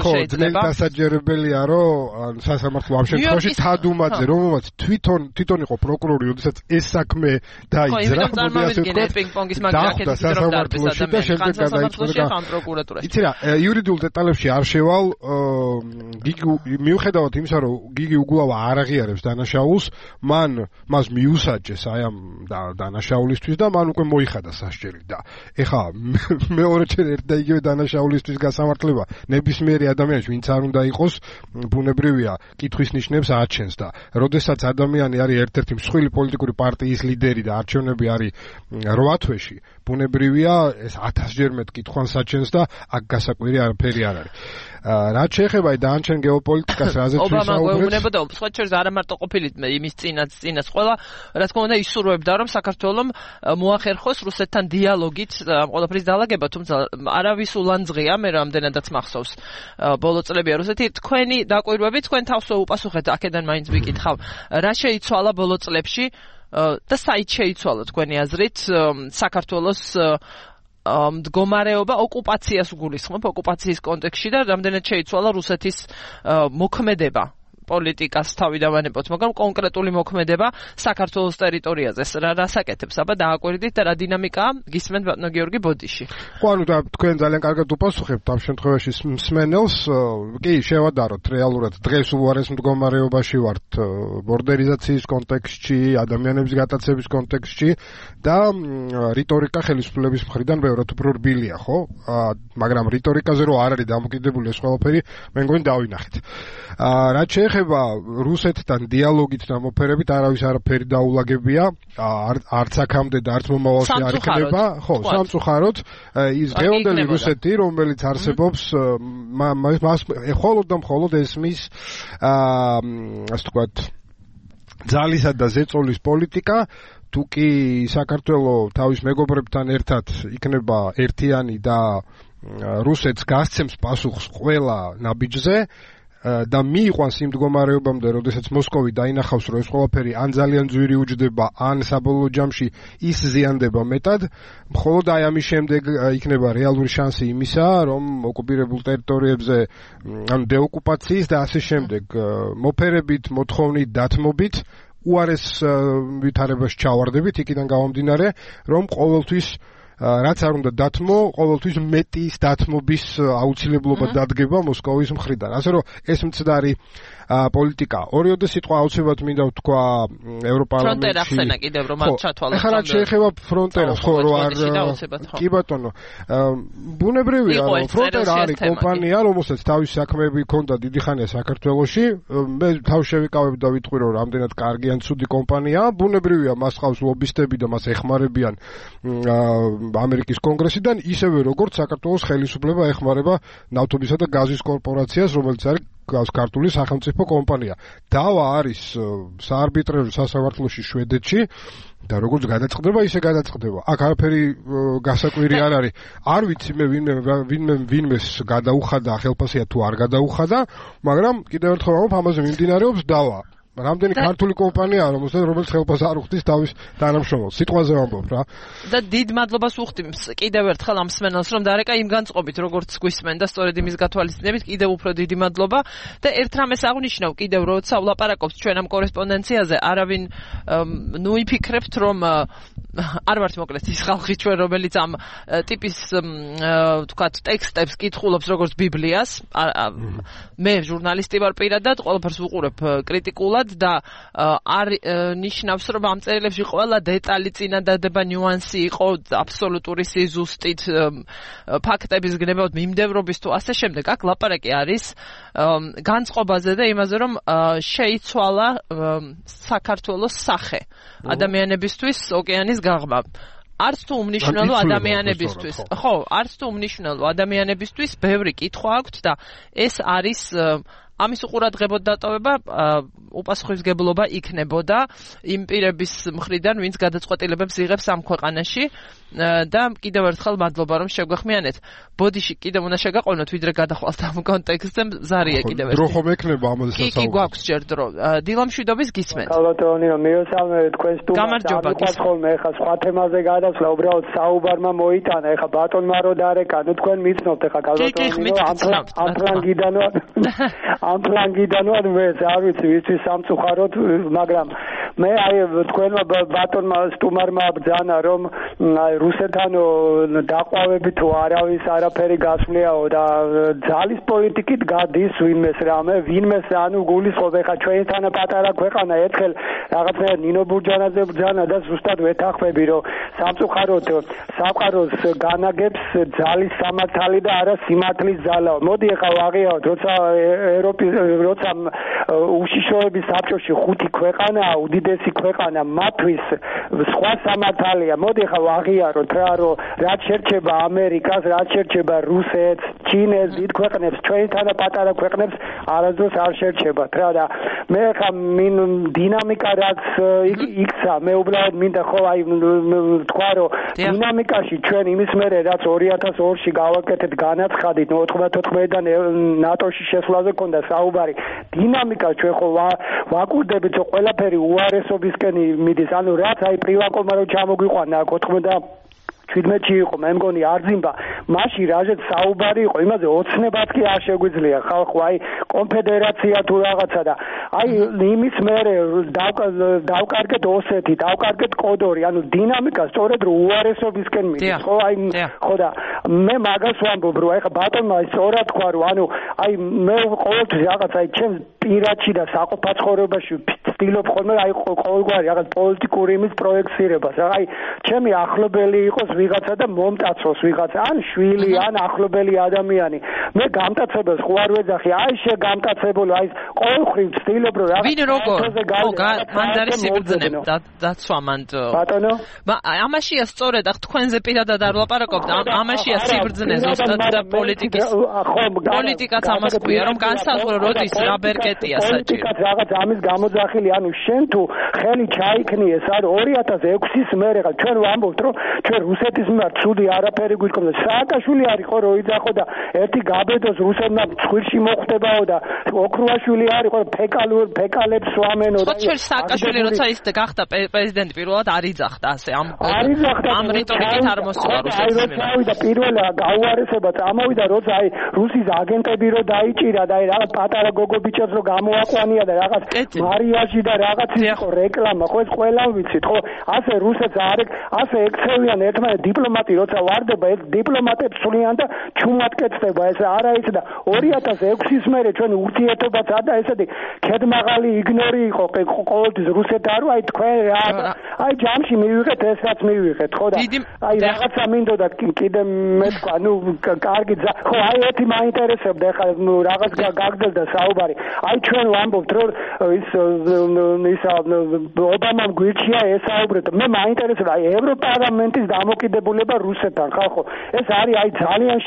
შეიძლება დასაჯერებელია რომ სასამართლო ამ შემთხვევაში თადუმაძე რომელმაც თვითონ თვითონ იყო პროკურორი როდესაც ეს საქმე დაიძრა პინგ-პონგის მაგალითად სასამართლოში და შემდეგ გადაიწყვეტა იცი რა იურიდიულ დეტალებში არ შევალ გიგი მიუხედავად იმისა რომ გიგი უგულავა არ აღიარებს დანაშაულს მან მას მიუსაჯეს აი ამ დანაშაულისთვის და მან უკვე მოიხადა სასჯელი და ეხლა მეორეჯერ ერთ და იგივე დანაშაულისთვის გასამართლება ნებისმიერი ადამიანი ვინც არ უნდა იყოს ბუნებრივია კითხვის ნიშნებს აჩენს და როდესაც ადამიანი არის ერთ-ერთი მსხვილი პოლიტიკური პარტიის ლიდერი და არჩევნები არის რვა თვეში ბუნებრივია ეს ათასჯერ მეტ კითხვას აჩენს და აქ გასაკვირი არაფერი არ არის რაც შეეხება დანარჩენ გეოპოლიტიკას რაზეც ვისაუბრეთ ობამა გვეუბნებოდა სხვა შორის არა მარტო ყოფილი იმის წინაც წინას ყველა რა თქმა უნდა ისურვებდა რომ საქართველოს მოახერხოს რუსეთთან დიალოგით ყველაფრის დაალაგება თუმცა არავის ულანძღია მე რამდენადაც მახსოვს ბოლო წლებია რუსეთი თქვენი დაკვირვები თქვენ თავს უპასუხეთ აქედან მაინც ვიკითხავ რა შეიცვალა ბოლო წლებში და საით შეიცვალა თქვენი აზრით საქართველოს მდგომარეობა ოკუპაციას გულისხმობ ოკუპაციის კონტექსტში და რამდენად შეიცვალა რუსეთის მოქმედება პოლიტიკას თავიდანვანებოთ, მაგრამ კონკრეტული მოქმედება საქართველოს ტერიტორიაზე რა რასაკეთებს, აბა დააკვირდით და რა დინამიკაა გისმენთ ბატონო გიორგი ბოდიში. ხო, ანუ და თქვენ ძალიან კარგად უპასუხებთ ამ შემთხვევაში მსმენელს, კი, შევადაროთ რეალურად დღეს უარეს მდგომარეობაში ვართ ბორდერიზაციის კონტექსტში, ადამიანების გატაცების კონტექსტში და რიტორიკა ხელისუფლების მხრიდან ბევრად უფრო რბილია, ხო? მაგრამ რიტორიკაზე რო არ არის დამოკიდებული ეს ყველაფერი, მე მგონი დავინახეთ. რაც შეეხება რუსეთთან დიალოგით და მოფერებით არავის არაფერი დაულაგებია არც აქამდე და არც მომავალში არ იქნება ხო სამწუხაროდ ის დღევანდელი რუსეთი რომელიც არსებობს მას მხოლოდ და მხოლოდ ესმის ასე ვთქვათ ძალისა და ზეწოლის პოლიტიკა თუ კი საქართველოს თავის მეგობრებთან ერთად იქნება ერთიანი და რუსეთს გასცემს პასუხს ყველა ნაბიჯზე და მიიყვანს იმ მდგომარეობამდე, როდესაც მოსკოვი დაინახავს, რომ ეს ყველაფერი ან ძალიან ძვირი უჯდება, ან საბოლოო ჯამში ის ზიანდება მეტად, მხოლოდ აი ამის შემდეგ იქნება რეალური შანსი იმისა, რომ ოკუპირებულ ტერიტორიებზე, ანუ დეოკუპაციის და ასე შემდეგ, მოფერებით, მოთხოვნით, დათმობით, უარეს ვითარებაში ჩავარდებით, იქიდან გამომდინარე, რომ ყოველთვის რაც არ უნდა დათმო, ყოველთვის მეტის დათმობის აუცილებლობა დადგება მოსკოვის მხრიდან. ასე რომ ეს მცდარი პოლიტიკა. ორიოდე სიტყვა აუცილებლად მინდა ვთქვა ევროპარლამენტში. ფრონტერა ხსენა კიდევ რომ არ ჩათვალა. ახლა რაც შეეხება ფრონტერას, ხო, რომ არ კი ბატონო. ბუნებრივია, რომ ფრონტერა არის კომპანია, რომელსაც თავისი საქმეები ჰქონდა დიდი ხანია საქართველოში. მე თავ შევიკავებ და ვიტყვი რომ რამდენად კარგი ან ცუდი კომპანიაა. ბუნებრივია, მას ხავს ლობისტები და მას ეხმარებიან ამერიკის კონგრესიდან, ისევე როგორც საქართველოს ხელისუფლება ეხმარება ნავთობისა და გაზის კორპორაციას, რომელიც არის ქართული სახელმწიფო კომპანია. დავა არის საარბიტრაჟო სასამართლოში შვედეთში და როგორც გადაწყდება, ისე გადაწყდება. აქ არაფერი გასაკვირი არ არის. არ ვიცი მე ვინმე ვინმე ვინმეს გადაუხადა ხელფასია თუ არ გადაუხადა, მაგრამ კიდევ ერთხელ ვამბობ, ამაზე მიმდინარეობს დავა. რამდენი ქართული კომპანიაა რომელსაც რომელიც ხელფას არ უხდის თავის თანამშრომელს სიტყვაზე ვამბობ რა და დიდ მადლობას უხდი კიდევ ერთხელ ამ მსმენელს რომ დარეკა იმ განწყობით როგორც გვისმენ და სწორედ იმის გათვალისწინებით კიდევ უფრო დიდი მადლობა და ერთ რამეს აღნიშნავ კიდევ როცა ვლაპარაკობთ ჩვენ ამ კორესპონდენციაზე არავინ ნუ იფიქრებთ რომ არ ვართ მოკლედ ის ხალხი ჩვენ რომელიც ამ ტიპის თქვათ ტექსტებს კითხულობს როგორც ბიბლიას მე ჟურნალისტი ვარ პირადად ყველაფერს ვუყურებ კრიტიკულად და არ ნიშნავს რომ ამ წერილებში ყველა დეტალი წინადადება ნიუანსი იყო აბსოლუტური სიზუსტით ფაქტების გნებავთ მიმდევრობის თუ ასე შემდეგ აქ ლაპარაკი არის განწყობაზე და იმაზე რომ შეიცვალა საქართველოს სახე ადამიანებისთვის ოკეანის გაღმა არც თუ უმნიშვნელო ადამიანებისთვის ხო არც თუ უმნიშვნელო ადამიანებისთვის ბევრი კითხვა აქვთ და ეს არის ამის უყურადღებოდ დატოვება უპასუხისმგებლობა იქნებოდა იმ პირების მხრიდან, ვინც გადაწყვეტილებებს იღებს ამ ქვეყანაში და კიდევ ერთხელ მადლობა რომ შეგვეხმიანეთ. ბოდიში კიდევ უნდა შეგაყოვნოთ, ვიდრე გადახვალთ ამ კონტექსტზე, ზარია კიდევ ერთი. დრო ხომ ექნება ამაზე სასაუბრო. კი, კი, გვაქვს ჯერ დრო. დილამშვიდობის გისმენთ. კალათონიო, მიესალმებით თქვენს სტუმარს. გამარჯობა. ხოლმე ეხა სხვა თემაზე გადასვლა, უბრალოდ საუბარმა მოიტანა, ეხა ბატონმა რო დარეკა, ნუ თქვენ მიცნობთ ეხა კალათონიო, ამ ფლანგიდან ვარ. ამ ფლანგიდან ვარ მე, არ ვიცი, ვისთვის სამწუხაროდ, მაგრამ მე აი თქვენმა ბატონმა სტუმარმა ბრძანა რომ აი რუსეთთან დაყვავებით თუ არავის არაფერი გასვლიაო და ძალის პოლიტიკით გადის ვინმეს რამე, ვინმეს ანუ გულისხმობ ეხა ჩვენთან პატარა ქვეყანა ერთხელ რაღაცა ნინო ბურჯანაძე ბრძანა და ზუსტად ვეთანხმები რომ სამწუხაროდ სამყაროს განაგებს ძალის სამართალი და არა სიმართლის ძალა. მოდი ეხა ვაღიავთ, როცა ევროპის როცა უშიშროების საბჭოში ხუთი ქვეყანაა უდიდესი ქვეყანა მათთვის სხვა სამართალია. მოდი ახლა ვაღიაროთ რა რომ რაც შერჩება ამერიკას, რაც შერჩება რუსეთს, ჩინეთს, დიდ ქვეყნებს, ჩვენთან პატარა ქვეყნებს არასდროს არ შერჩებათ რა და მე ახლა მინ დინამიკა რაც იქცა მე უბრალოდ მინდა ხო აი თქვა რომ დინამიკაში ჩვენ იმის მერე რაც ორი ათას ორში გავაკეთეთ განაცხადით ოთხმოცდაოთხიდან ნატოში შესვლაზე ქონდა საუბარი დინამიკა ჩვენ ხო ვაკურდებით რომ ყველაფერი უარესობისკენ მიდის ანუ რაც აი პრივაკომა რომ ჩამოგვიყვანა ოთხმოცდა შვიდმეტში იყო მე მგონი არძიმბა მაშინ რაჟეთ საუბარი იყო იმაზე ოცნებაც კი არ შეგვიძლია ხალხო აი კონფედერაცია თუ რაღაცა და აი იმის მერე დავკარგეთ ოსეთი დავკარგეთ კოდორი ანუ დინამიკა სწორედ რომ უარესობისკენ მიდის ხო აი ხო და მე მაგას ვამბობ რომ აი ხა ბატონმა სწორად თქვა რომ ანუ აი მე ყოველთვის რაღაც აი ჩემს პირადში და საყოფა ცხოვრებაში ვცდილობ ხოლმე აი ყოველგვარი რაღაც პოლიტიკური იმის პროექცირებას აი ჩემი ახლობელი იყოს ვიღაცა და მომტაცოს ვიღაცა ან შვილი ან ახლობელი ადამიანი მე გამტაცებელს ხო არ ვეძახი აი შე გამტაცებულო აი ყოველხრივ ვცდილობ რომ რაღაც ვინ როგორ მან არის სიბრძნე დაცვამანდ ბატონო ამაშია სწორედ ახ თქვენზე პირადად არ ვლაპარაკობ და ამაშია სიბრძნე ზუსტად და პოლიტიკის პოლიტიკაც ამას ქვია რომ განსაზღვრო როდის რა ბერკეტია საჭირო პოლიტიკაც რაღაც ამის გამოძახილი ანუ შენ თუ ხელი ჩაიქნიე სად ორი ათას ექვსის მერე ხა ჩვენ ვამბობთ რომ ჩვენ რუსეთის მიმართ ცუდი არაფერი გვიდგომდა სააკაშვილი არის ხო რო იძახო და ერთი გაბედოს რუსებმა ცხვირში მოხვდებაო და ოქრუაშვილი არის ხო ფეკალურ ფეკალებს სვამენო და ხო სააკაშვილი როცა ის გახდა პრეზიდენტი პირველად არ იძახდა ასე ამ ამ რიტორიკით არ მოსვა რუსეთის მიმართ აი და პირველი გაუარესება წამოვიდა როცა აი რუსის აგენტები რო დაიჭირა და აი რაღაც პატარა გოგობიჭებს რო გამოაყვანია და რაღაც მარიაჟი და რაღაც იყო რეკლამა ხო ეს ყველა ვიცით ხო ასე რუსეთს არ ასე ექცევიან ერთმანეთს დიპლომატი როცა ვარდება ეს დიპლომატებს სულიან და ჩუმად კეთდება ეს არა ის და ორი ათას ექვსის მერე ჩვენ ურთიერთობაც და ესეთი ქედმაღალი იგნორი იყო ყოველთვის რუსეთთან აი თქვენ რა აი ჯამში მივიღეთ ეს რაც მივიღეთ ხო და აი რაღაცა მინდოდა კიდე მე თქვა ნუ კარგი ხო აი ერთი მაინტერესებდა ხა ნუ რაღაც გაგრძელდა საუბარი აი ჩვენ ვამბობთ რომ ის ის ობამამ გვირჩია ესაუბრეთ მე მაინტერესებდა აი ევროპარლამენტის დამოკიდებულება რუსეთთან ხალხო ეს არის აი ძალიან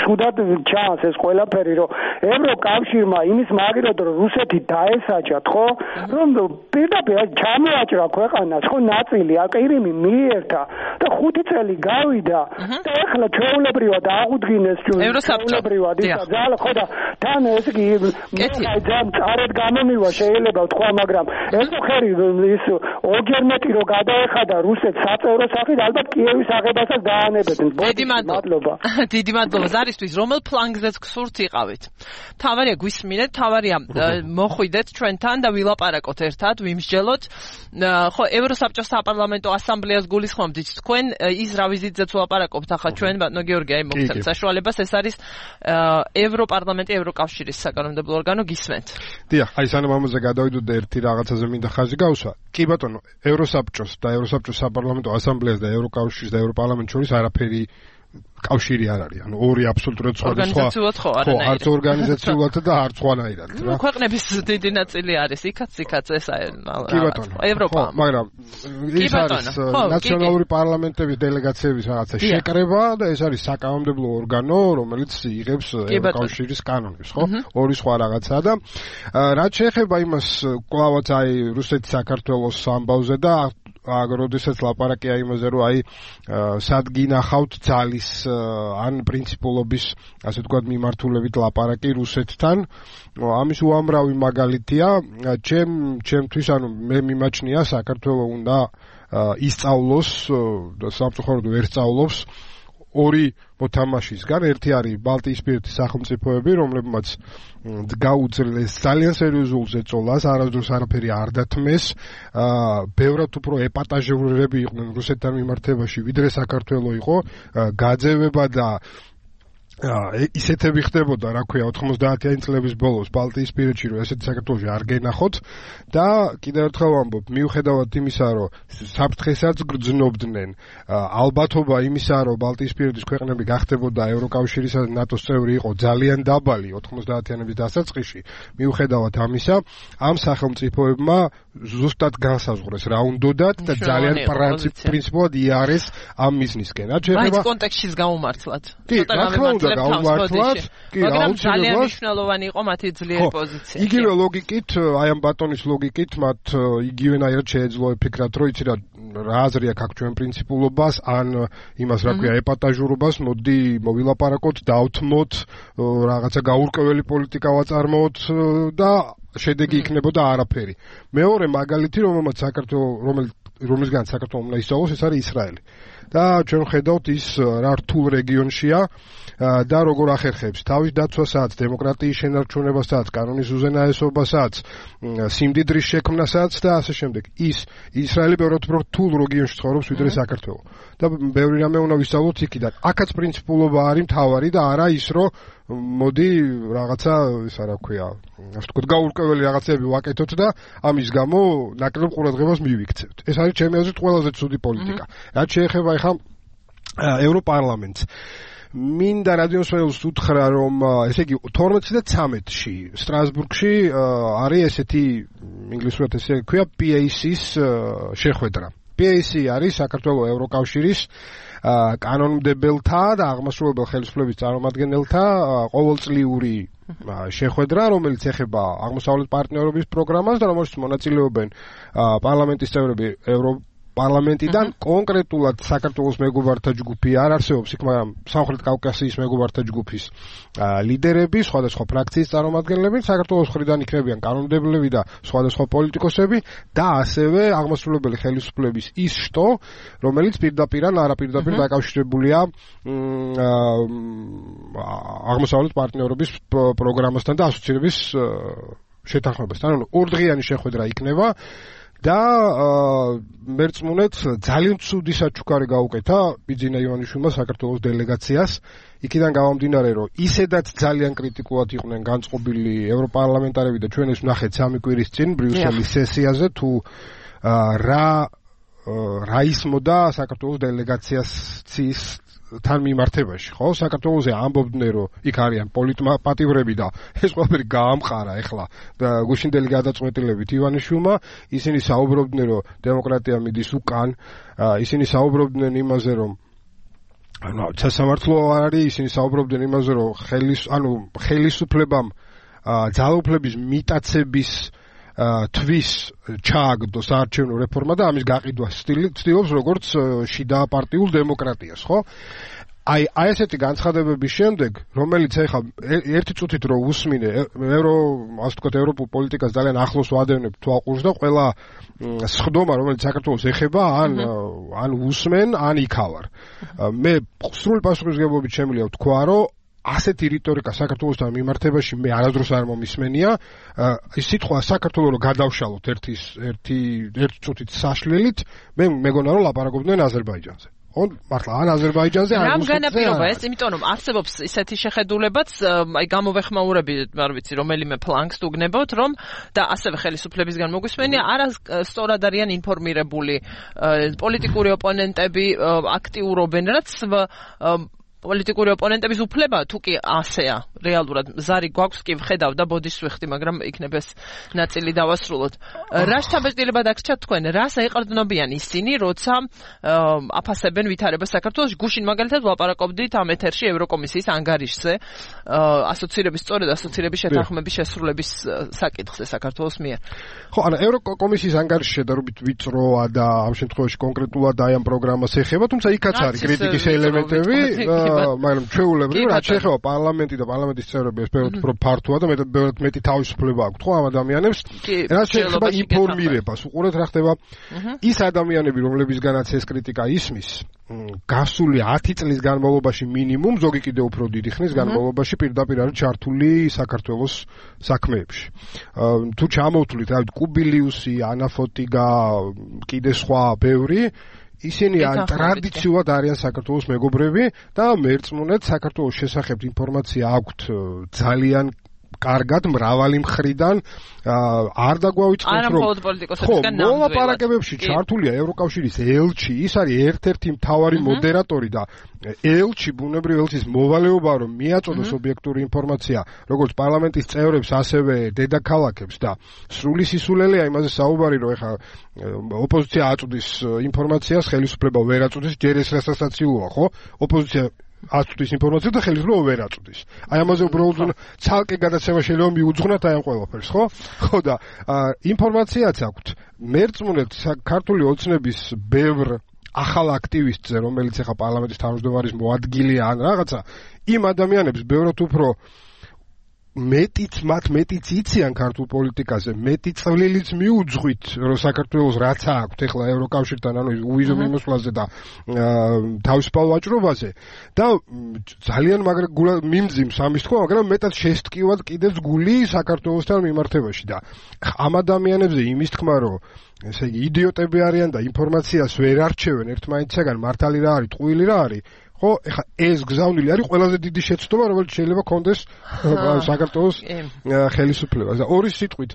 ცუდად ჩანს ეს ყველაფერი რომ ევროკავშირმა იმის მაგერად რომ რუსეთი დაესაჯათ ხო რომ პირდაპირ ჩამოაჭრა ქვეყანას ხო ნაწილი აკირიმი მიერთა და ხუთი წელი გავიდა და ეხლა ყველა ჩვეულებრივად აღუდგინეს ჩვეულებრივად ის ძალა ხო და თან ეს კი ძალიან წარად გამომივა შეიძლება თქვა მაგრამ ეს ხერი ის ორჯერ მეტი რო გადაეხადა რუსეთს საწევრო სახით ალბათ კიევის აღებასაც დაანებდნენ. დიდი მადლობა. დიდი მადლობა ზარისთვის რომელ ფლანგზეც გსურთ იყავით. თავარია გვისმინეთ, თავარია მოხვიდეთ ჩვენთან და ვილაპარაკოთ ერთად, ვიმსჯელოთ. ხო, ევროსაბჭოს საპარლამენტო ასამბლეას გულისხმობთ თქვენ ის რა ვიზიტზეც ვლაპარაკობთ ახლა ჩვენ ბატონო გიორგი აი მოგცემთ საშუალებას ეს არის ევროპარლამენტი ევროკავშირის საკანონმდებლო ორგანო გისმენთ. დიახ, აი სანამ ამაზე გადავიდოდ და ერთი რაღაცაზე მინდა ხაზი გავსვა. კი ბატონო, ევროსაბჭოს და ევროსაბჭოს საპარლამენტო ასამბლეას და ევროკავშირის და ევროპარლამენტს შორის არაფერი კავშირი არ არის. ანუ ორი აბსოლუტურად სხვადასხვა. ხო, არც ორგანიზაციულად და არც სხვანაირად რა. ქვეყნების დიდი ნაწილი არის იქაც იქაც ეს კი ბატონო. ევროპა. მაგრამ ის არის ნაციონალური პარლამენტების დელეგაციების რაღაცა შეკრება და ეს არის საკანონმდებლო ორგანო, რომელიც იღებს ევროკავშირის კანონებს, ხო? ორი სხვა რაღაცაა და რაც შეეხება იმას, კლავაც აი რუსეთის საქართველოს ამბავზე და აგროდესაც ლაპარაკია იმაზე, რომ აი სად გინახავთ ძალის ან პრინციპულობის, ასე ვთქვათ, მიმართულებით ლაპარაკი რუსეთთან. ამის უამრავი მაგალითია. ჩემ ჩემთვის, ანუ მე მიმაჩნია საქართველოს უნდა ისწავლოს და სამწუხაროდ ვერ სწავლობს ორი მოთამაშისგან. ერთი არის ბალტიისპირეთის სახელმწიფოები, რომლებმაც გაუძლეს ძალიან სერიოზულ ზეწოლას, არასდროს არაფერი არ დათმეს. ბევრად უფრო ეპატაჟურები იყვნენ რუსეთთან მიმართებაში, ვიდრე საქართველოს იყო. გაძევება და ისეთები ხდებოდა, რა ქვია, ოთხმოცდაათიანი წლების ბოლოს ბალტიისპირეთში, რომ ესეთი საქართველოში არ გენახოთ და კიდევ ერთხელ ვამბობ, მიუხედავად იმისა, რომ საფრთხესაც გრძნობდნენ, ალბათობა იმისა, რომ ბალტიისპირეთის ქვეყნები გახდებოდა ევროკავშირისა და ნატოს წევრი იყო ძალიან დაბალი ოთხმოცდაათიანების დასაწყისში, მიუხედავად ამისა, ამ სახელმწიფოებმა ზუსტად განსაზღვრეს რა უნდათ და ძალიან პრინციპულად იარეს ამ მიზნისკენ. რაც შეეხება აი კონტექსტშიც გაუმართლად. კი, რა თქმა უნდა გაუმართლად, კი, მაგრამ ძალიან მნიშვნელოვანი იყო მათი ძლიერი პოზიცია. იგივე ლოგიკით, აი ამ ბატონის ლოგიკით, მათ იგივენაირად შეეძლო ეფიქრათ, რომ იცი რა რა აზრი აქვს აქ ჩვენ პრინციპულობას, ან იმას რა ქვია ეპატაჟურობას, მოდი მოვილაპარაკოთ, დავთმოთ, რაღაცა გაურკვეველი პოლიტიკა ვაწარმოოთ და შედეგი იქნებოდა არაფერი. მეორე მაგალითი, რომელმაც საქართველოს რომელ რომელისგან საქართველოს უნდა ისწავლოს, ეს არის ისრაელი. და ჩვენ ხედავთ ის რა რთულ რეგიონშია და როგორ ახერხებს თავის დაცვასაც, დემოკრატიის შენარჩუნებასაც, კანონის უზენაესობასაც, სიმდიდრის შექმნასაც და ასე შემდეგ. ის ისრაელი ბევრად უფრო რთულ რეგიონში ცხოვრობს ვიდრე საქართველო. და ბევრი რამე უნდა ვისწავლოთ იქიდან. აქაც პრინციპულობა არის მთავარი და არა ის, რომ მოდი რაღაცა ისა რა ქვია, ასე ვთქვათ, გაურკვეველი რაღაცები ვაკეთოთ და ამის გამო ნაკლებ ყურადღებას მივიქცევთ. ეს არის ჩემი აზრით ყველაზე ცუდი პოლიტიკა. რაც შეეხება ახლა ევროპარლამენტს, მინდა რადიოსმენელს უთხრა, რომ ესე იგი თორმეტში და ცამეტში სტრასბურგში არის ესეთი ინგლისურად ესე ქვია პი ეი სის შეხვედრა. პი ეი სი არის საქართველოს ევროკავშირის კანონმდებელთა და აღმასრულებელ ხელისუფლების წარმომადგენელთა ყოველწლიური შეხვედრა, რომელიც ეხება აღმოსავლეთ პარტნიორობის პროგრამას და რომელშიც მონაწილეობენ პარლამენტის წევრები ევროპ პარლამენტიდან, კონკრეტულად საქართველოს მეგობართა ჯგუფი არ არსებობს იქ, მაგრამ სამხრეთ კავკასიის მეგობართა ჯგუფის ლიდერები, სხვადასხვა ფრაქციის წარმომადგენლები, საქართველოს მხრიდან იქნებიან კანონმდებლები და სხვადასხვა პოლიტიკოსები და ასევე აღმასრულებელი ხელისუფლების ის შტო, რომელიც პირდაპირ ან არაპირდაპირ დაკავშირებულია აღმოსავლეთ პარტნიორობის პროგრამასთან და ასოცირების შეთანხმებასთან. ანუ ორდღიანი შეხვედრა იქნება და მერწმუნეთ ძალიან ცუდი საჩუქარი გაუკეთა ბიძინა ივანიშვილმა საქართველოს დელეგაციას. იქიდან გამომდინარე, რომ ისედაც ძალიან კრიტიკულად იყვნენ განწყობილი ევროპარლამენტარები და ჩვენ ეს ვნახეთ სამი კვირის წინ ბრიუსელის სესიაზე, თუ რა რა ისმოდა საქართველოს დელეგაციას ცის თან მიმართებაში, ხო? საქართველოზე ამბობდნენ, რომ იქ არიან პოლიტპატივრები და ეს ყველაფერი გაამყარა ახლა და გუშინდელი გადაწყვეტილებით ივანიშვილმა. ისინი საუბრობდნენ, რომ დემოკრატია მიდის უკან, ისინი საუბრობდნენ იმაზე, რომ ანუ სასამართლო არის, ისინი საუბრობდნენ იმაზე, რომ ხელის ანუ ხელისუფლებამ ძალაუფლების მიტაცების თვის ჩააგდოს საარჩევნო რეფორმა და ამის გაყიდვა ცდილობს როგორც შიდა პარტიულ დემოკრატიას, ხო? აი აი ესეთი განცხადებების შემდეგ, რომელიც ეხლა ერთი წუთით რო უსმინე, ევრო, ასე ვთქვათ, ევროპულ პოლიტიკას ძალიან ახლოს ვადევნებ თვალყურს და ყველა სხდომა, რომელიც საქართველოს ეხება, ან ან უსმენ, ან იქავარ. მე სრული პასუხისმგებლობით შემიძლია ვთქვა, რომ ასეთი რიტორიკა საქართველოსთან მიმართებაში მე არასდროს არ მომისმენია. ის სიტყვა საქართველოს რო გადავშალოთ ერთის ერთი ერთი წუთით საშლელით, მე მეგონა რომ ლაპარაკობდნენ აზერბაიჯანზე. on მართლა ან აზერბაიჯანზე ან რუსეთზე. რამ განაპირობა ეს, იმიტომ რომ არსებობს ისეთი შეხედულებაც, აი გამოვეხმაურები, არ ვიცი, რომელიმე ფლანგს უგნებოთ, რომ და ასევე ხელისუფლებისგან მოგვისმენია, არა სწორად არიან ინფორმირებული პოლიტიკური ოპონენტები აქტიურობენ, რაც პოლიტიკური ოპონენტების უფლება თუ კი ასეა რეალურად ზარი გვაქვს კი ვხედავ და ბოდის ვიხდი, მაგრამ იქნებ ეს ნაწილი დავასრულოთ. რა შთაბეჭდილება დაგჭირთ თქვენ, რას აიყრდნობიან ისინი, როცა აფასებენ ვითარებას საქართველოში? გუშინ მაგალითად ვლაპარაკობდით ამ ეთერში ევროკომისიის ანგარიშზე, ასოცირების სწორედ ასოცირების შეთანხმების შესრულების საკითხზე საქართველოს მიერ. ხო, ანუ ევროკომისიის ანგარიში შედარებით ვიწროა და ამ შემთხვევაში კონკრეტულად აი ამ პროგრამას ეხება, თუმცა იქაც არის კრიტიკის ელემენტები. მაგრამ ჩვეულებრივ რაც შეეხება პარლამენტი და პარლამენტის წევრები ეს ბევრად უფრო ფართოა და მეტად მეტი თავისუფლება აქვთ ხო ამ ადამიანებს რაც შეეხება ინფორმირებას უყურეთ რა ხდება ის ადამიანები რომლებისგანაც ეს კრიტიკა ისმის გასული ათი წლის განმავლობაში მინიმუმ ზოგი კიდე უფრო დიდი ხნის განმავლობაში პირდაპირ არის ჩართული საქართველოს საქმეებში თუ ჩამოვთვლით რა ვიცი კუბილიუსი ანაფოტიგა კიდე სხვა ბევრი ისინი ან ტრადიციულად არიან საქართველოს მეგობრები და მერწმუნედ საქართველოს შესახებ ინფორმაცია აქვთ ძალიან კარგად მრავალი მხრიდან არ დაგვავიწყოთ რომ ხო მოლაპარაკებებში ჩართულია ევროკავშირის ელჩი ის არის ერთ-ერთი მთავარი მოდერატორი და ელჩი ბუნებრივ ელჩის მოვალეობა რომ მიაწოდოს ობიექტური ინფორმაცია როგორც პარლამენტის წევრებს ასევე დედაქალაქებს და სრული სისულელეა იმაზე საუბარი რომ ეხა ოპოზიცია აწვდის ინფორმაციას ხელისუფლება ვერ აწვდის ჯერ ეს რასაცილოა ხო ოპოზიცია აწვდის ინფორმაციას და ხელისუფლება ვერ აწვდის. აი ამაზე უბრალოდ ცალკე გადაცემა შეიძლება მიუძღვნათ აი ამ ყველაფერს, ხო? ხო და ინფორმაციაც აქვთ. მერწმუნედ ქართული ოცნების ბევრ ახალ აქტივისტზე, რომელიც ახლა პარლამენტის თავმჯდომარის მოადგილეა ან რაღაცა, იმ ადამიანებს ბევრად უფრო მეტიც მათ მეტიც იციან ქართულ პოლიტიკაზე, მეტი წვლილიც მიუძღვით, რომ საქართველოს რაც აქვს ახლა ევროკავშირთან, ანუ უვიზო მიმოსვლაზე და თავისუფალ ვაჭრობაზე და ძალიან მაგრა მიმძიმს ამის თქმა, მაგრამ მეტად შესტკივად კიდევ გული საქართველოსთან მიმართებაში და ამ ადამიანებზე იმის თქმა, რომ ესე იგი იდიოტები არიან და ინფორმაციას ვერ არჩევენ ერთმანეთისაგან, მართალი რა არის, ტყუილი რა არის ხო, ეხა ეს გზავნილი არის ყველაზე დიდი შეცდომა, რომელიც შეიძლება კონდეს საქართველოს ხელისუფლებას. და ორი სიტყვით,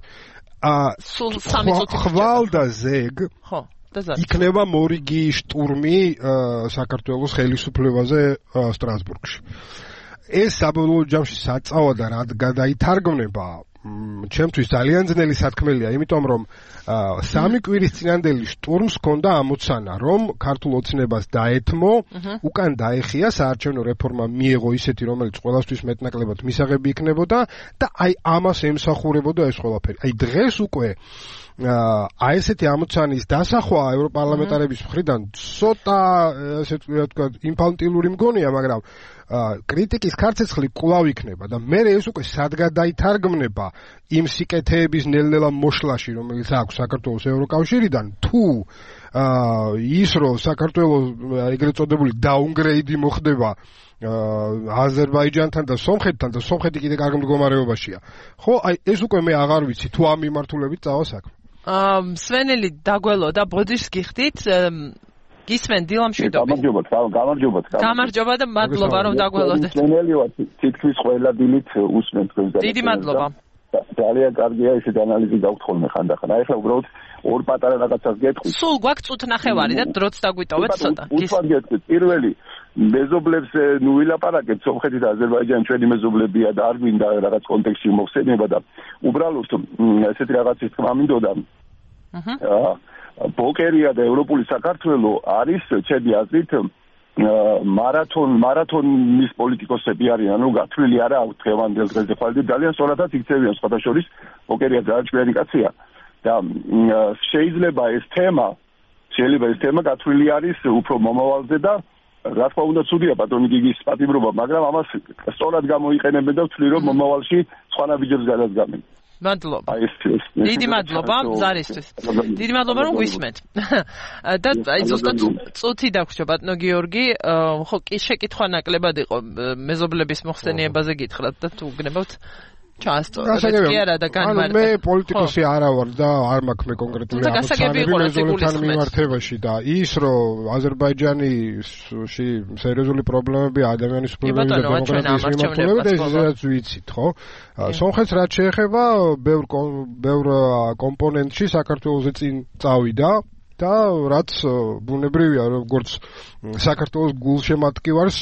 სულ სამი წუთი ხვალ და ზეგ, ხო, და ზარ. იქნება მორიგი შტურმი საქართველოს ხელისუფლებაზე სტრასბურგში. ეს საბოლოო ჯამში საწავა და რა გადაითარგმნება ჩემთვის ძალიან ძნელი სათქმელია, იმიტომ რომ სამი კვირის წინანდელი შტურმს ჰქონდა ამოცანა, რომ ქართულ ოცნებას დაეთმო, უკან დაეხია საარჩევნო რეფორმა მიეღო ისეთი, რომელიც ყველასთვის მეტნაკლებად მისაღები იქნებოდა და აი ამას ემსახურებოდა ეს ყველაფერი. აი დღეს უკვე აი ესეთი ამოცანის დასახვა ევროპარლამენტარების მხრიდან ცოტა ესე ვთქვათ ინფანტილური მგონია, მაგრამ კრიტიკის ქარცეცხლი კვლავ იქნება და მე ეს უკვე სად გადაითარგმნება იმ სიკეთეების ნელ-ნელა მოშლაში, რომელიც აქვს საქართველოს ევროკავშირიდან, თუ ის რომ საქართველოს ეგრეთ წოდებული დაუნგრეიდი მოხდება აზერბაიჯანთან და სომხეთთან და სომხეთი კიდე კარგ მდგომარეობაშია. ხო, აი ეს უკვე მე აღარ ვიცი თუ ამ მიმართულებით წავა საქმე. აა სვენელი დაგველო და ბოდიშს გიხდით გისმენ დილამშვიდობი. გამარჯობა, გამარჯობა. გამარჯობა და მადლობა რომ დაგველოდეთ. სვენელი ვარ, თითქმის ყველა დილით უსმენ თქვენს და დიდი მადლობა. ძალიან კარგია ესეთ ანალიზი გაქვთ ხოლმე ხანდახან. აი ახლა უბრალოდ ორ პატარა რაღაცას გეტყვით. სულ გვაქვს წუთ ნახევარი და დროც დაგვიტოვეთ ცოტა. გისმენ გეტყვით. პირველი მეზობლებს ნუ ვილაპარაკეთ, სომხეთი და აზერბაიჯანი ჩვენი მეზობლებია და არ გვინდა რაღაც კონტექსტში მოხსენება და უბრალოდ ესეთი რაღაცის თქმა მინდოდა. აჰა. ბოკერია და ევროპული საქართველო არის ჩემი აზრით მარათონ მარათონის პოლიტიკოსები არიან, ანუ გათვლილი არა აქვს დღევანდელ დღეზე ხვალდი ძალიან სწორადაც იქცევიან სხვათა შორის ბოკერია ძალიან ჭკვიანი კაცია და შეიძლება ეს თემა შეიძლება ეს თემა გათვლილი არის უფრო მომავალზე და რა თქმა უნდა ცუდია ბატონი გიგის პატიმრობა, მაგრამ ამას სწორად გამოიყენებენ და ვთვლი რომ მომავალში სხვა ნაბიჯებს გადადგამენ. მადლობა. დიდი მადლობა ზარისთვის. დიდი მადლობა რომ გვისმენთ. და აი ზუსტად წუთი დაგვრჩა ბატონო გიორგი, ხო კი შეკითხვა ნაკლებად იყო მეზობლების მოხსენიებაზე გითხრათ და თუ გნებავთ ჩაასწორეთ კი არა და განმარტეთ. მე პოლიტიკოსი არა ვარ და არ მაქვს მე კონკრეტული ამოცანები მეზობლებთან მიმართებაში და ის რომ აზერბაიჯანში სერიოზული პრობლემები ადამიანის უფლებების და დემოკრატიის მიმართულებით ეს რაც ვიცით, ხო? სომხეთს რაც შეეხება ბევრ ბევრ კომპონენტში საქართველოსზე წინ წავიდა და რაც ბუნებრივია როგორც საქართველოს გულშემატკივარს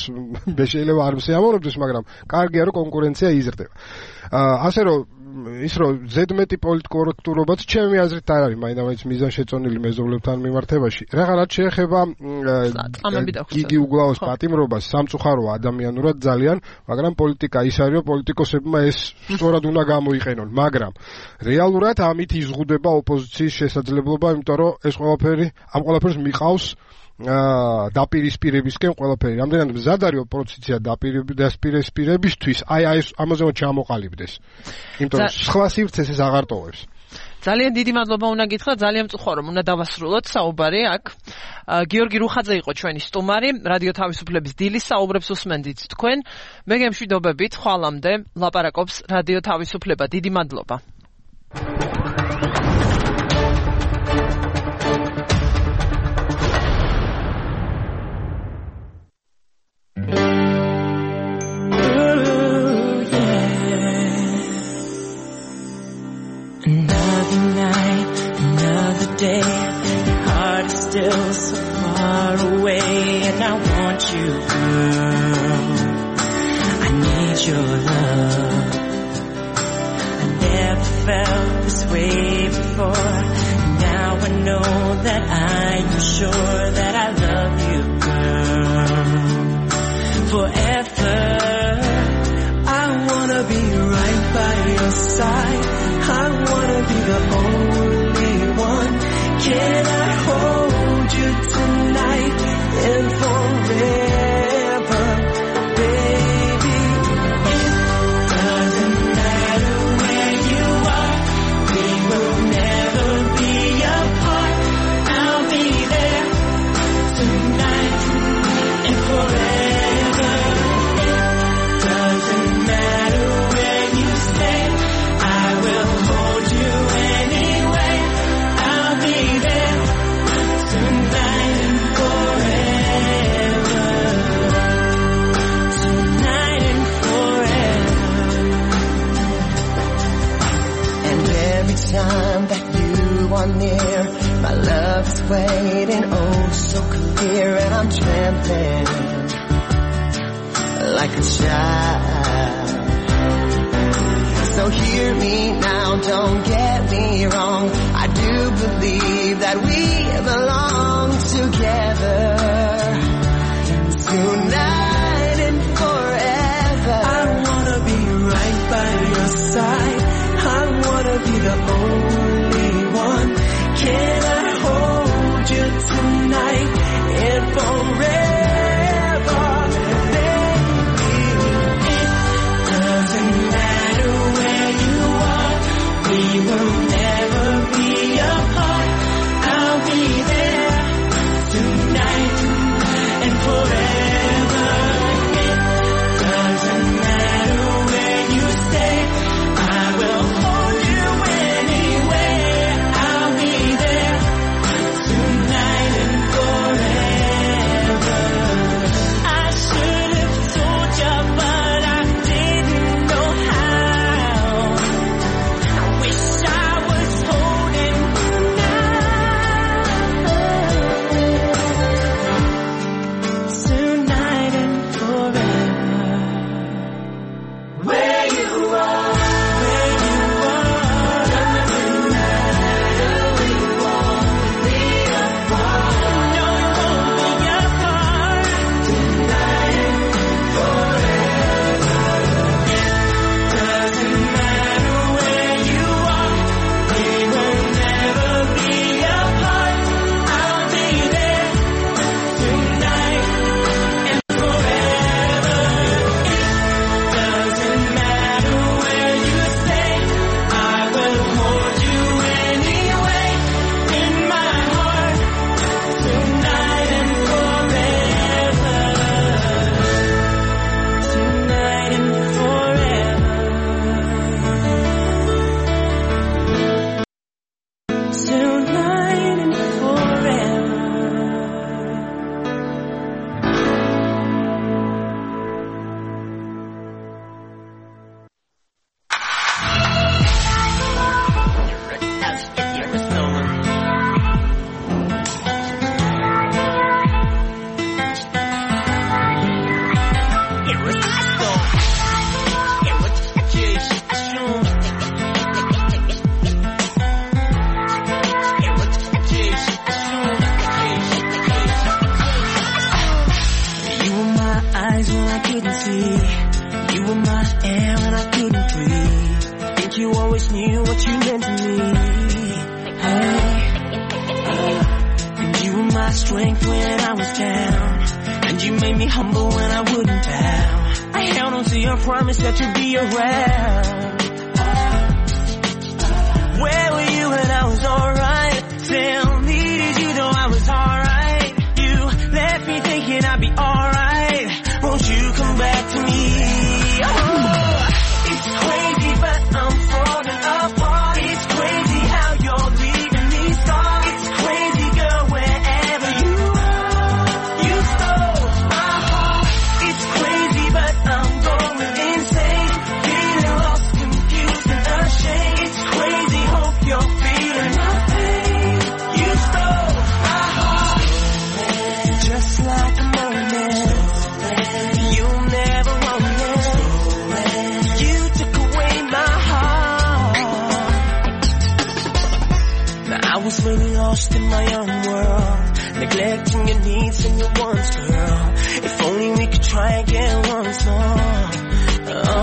მე შეიძლება არ მსიამოვნებდეს, მაგრამ კარგია რომ კონკურენცია იზრდება. ასე რომ ის რომ ზედმეტი პოლიტკორექტურობაც ჩემი აზრით არ არის მაინც მიზანშეწონილი მეზობლებთან მიმართებაში. რაღაც შეეხება გიგი უგლაოს პატიმრობას სამწუხაროა ადამიანურად ძალიან, მაგრამ პოლიტიკა ის არის რომ პოლიტიკოსებმა ეს სწორად უნდა გამოიყენონ, მაგრამ რეალურად ამით იზღუდება ოპოზიციის შესაძლებლობა, იმიტომ რომ ეს ყველაფერი ამ ყველაფერს მიყავს აა დაპირისპირებისკენ ყველაფერი. რამდენად მზად არის ოპოზიცია დაპირისპირებისთვის, აი აი ამაზე ჩამოყალიბდეს. იმიტომ რომ სხვა სივრცეს ეს აღარ ტოვებს. ძალიან დიდი მადლობა უნდა გითხრა, ძალიან მწუხარ რომ უნდა დავასრულოთ საუბარი აქ. გიორგი რუხაძე იყო ჩვენი სტუმარი, რადიო თავისუფლების დილის საუბრებს უსმენდით თქვენ. მე გემშვიდობებით, ხვალამდე ლაპარაკობს რადიო თავისუფლება. დიდი მადლობა. Another night, another day, your heart is still so far away, and I want you, girl. I need your love. I never felt this way before. Now I know that I am sure that I love you, girl. Forever, I wanna be right by your side. I wanna be the only one. Can I hold you tonight and forever, baby? It doesn't matter where you are, we will never be apart. I'll be there tonight and forever. It doesn't matter where you stay, I will hold you anyway. I'll be there tonight and forever. Tonight and forever. And every time that you are near, my love is waiting, oh so clear, and I'm trembling like a child. So hear me now, don't get me wrong. I do believe that we belong together. Tonight and forever. I wanna be right by your side. I wanna be the only one. Can I hold you tonight and forever? We will never be apart. I'll be there eyes when I couldn't see. You were my air when I couldn't breathe. I think you always knew what you meant to me. Hey, uh, and you were my strength when I was down. And you made me humble when I wouldn't bow. I held on to your promise that you'd be around. Where were you when I was alright? Tell me, did you know I was alright? You left me thinking I'd be alright. Won't you come back to me? Oh, it's crazy, but I'm falling apart. It's crazy how you're leaving me scarred. It's crazy, girl, wherever you are. You stole my heart. It's crazy, but I'm going insane. Feeling lost, confused, and ashamed. It's crazy, hope you're feeling my pain. You stole my heart. Just like a moment. You never wrong it. You took away my heart. Now I was really lost in my own world, neglecting your needs and your wants, girl. If only we could try again once more. Oh.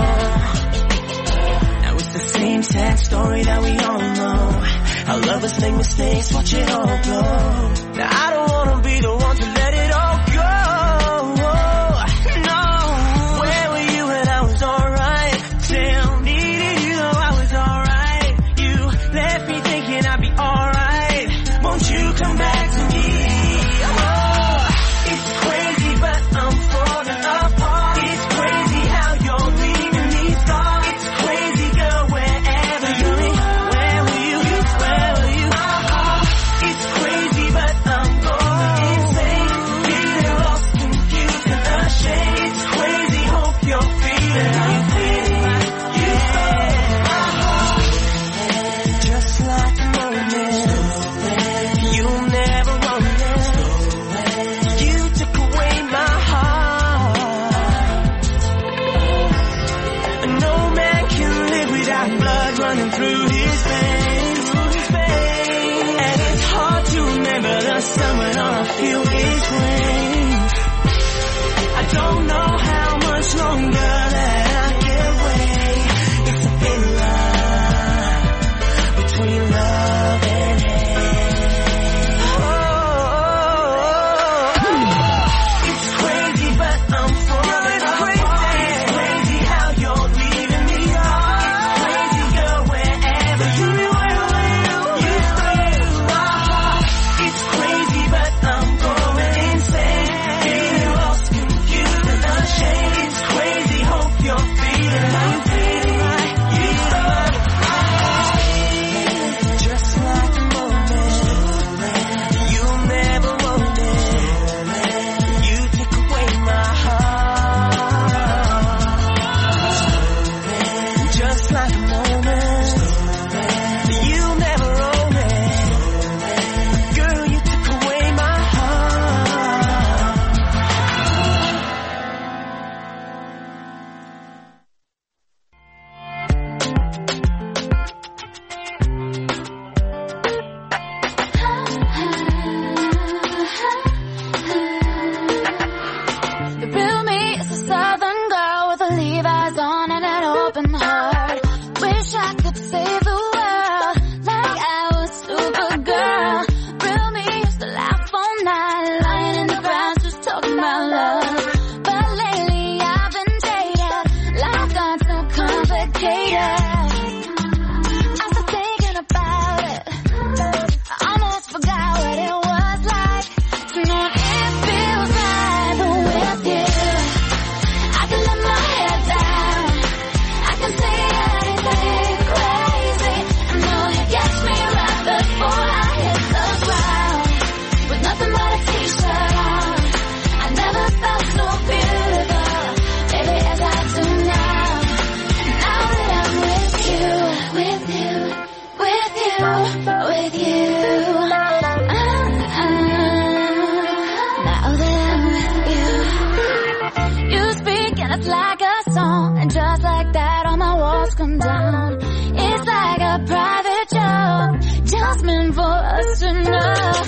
Now it's the same sad story that we all know. How lovers make mistakes, watch it all blow. Now I don't wanna be the one to let it all go. No, where were you when I was alright? Tell me, did you know I was alright? You left me thinking I'd be alright. Won't you come back to me? Oh, it's crazy, but I'm falling apart. It's crazy how you're leaving me scarred. It's crazy, girl, wherever you are. Where were you? Where were you? It's crazy, but I'm going insane. Feeling lost, confused, and ashamed. It's crazy, hope you're feeling my pain. You stole my heart. Just like a moment. You never wrong it. You took away my heart. No man can live without blood running through his veins. And it's hard to remember the sun when all I feel is rain. I don't know how much longer that I can wait. It's a thin line between love and hate. Oh, it's crazy, but I'm falling apart. It's crazy how you're leaving me scarred. It's crazy, girl, wherever you are. You stole my heart. It's crazy, but I'm going insane. Feeling lost, confused, and ashamed. It's crazy, hope you're feeling my pain. You stole my heart. Just like a moment. You never wrote it. You took away my heart. Just like a moment. You never wrote it. Girl, you took away my heart. The real me is a southern girl with a Levi's on and an open heart. Wish I could save the world like I was Supergirl. Real me used to laugh all night, lying in the grass just talking about love. But lately I've been jaded, life got so complicated. I started thinking about it, I almost forgot what it was like to know it feels right, but with you I can let my head down. I can say anything crazy. I know you catch me right before I hit the ground. With nothing but a t-shirt on, I never felt so beautiful, baby, as I do now. Now that I'm with you, with you, with you, with you. Uh-uh. Now that I'm with you, you speak and it's like a song, and just like that all my walls come down. It's like a private joke, just meant for us to know.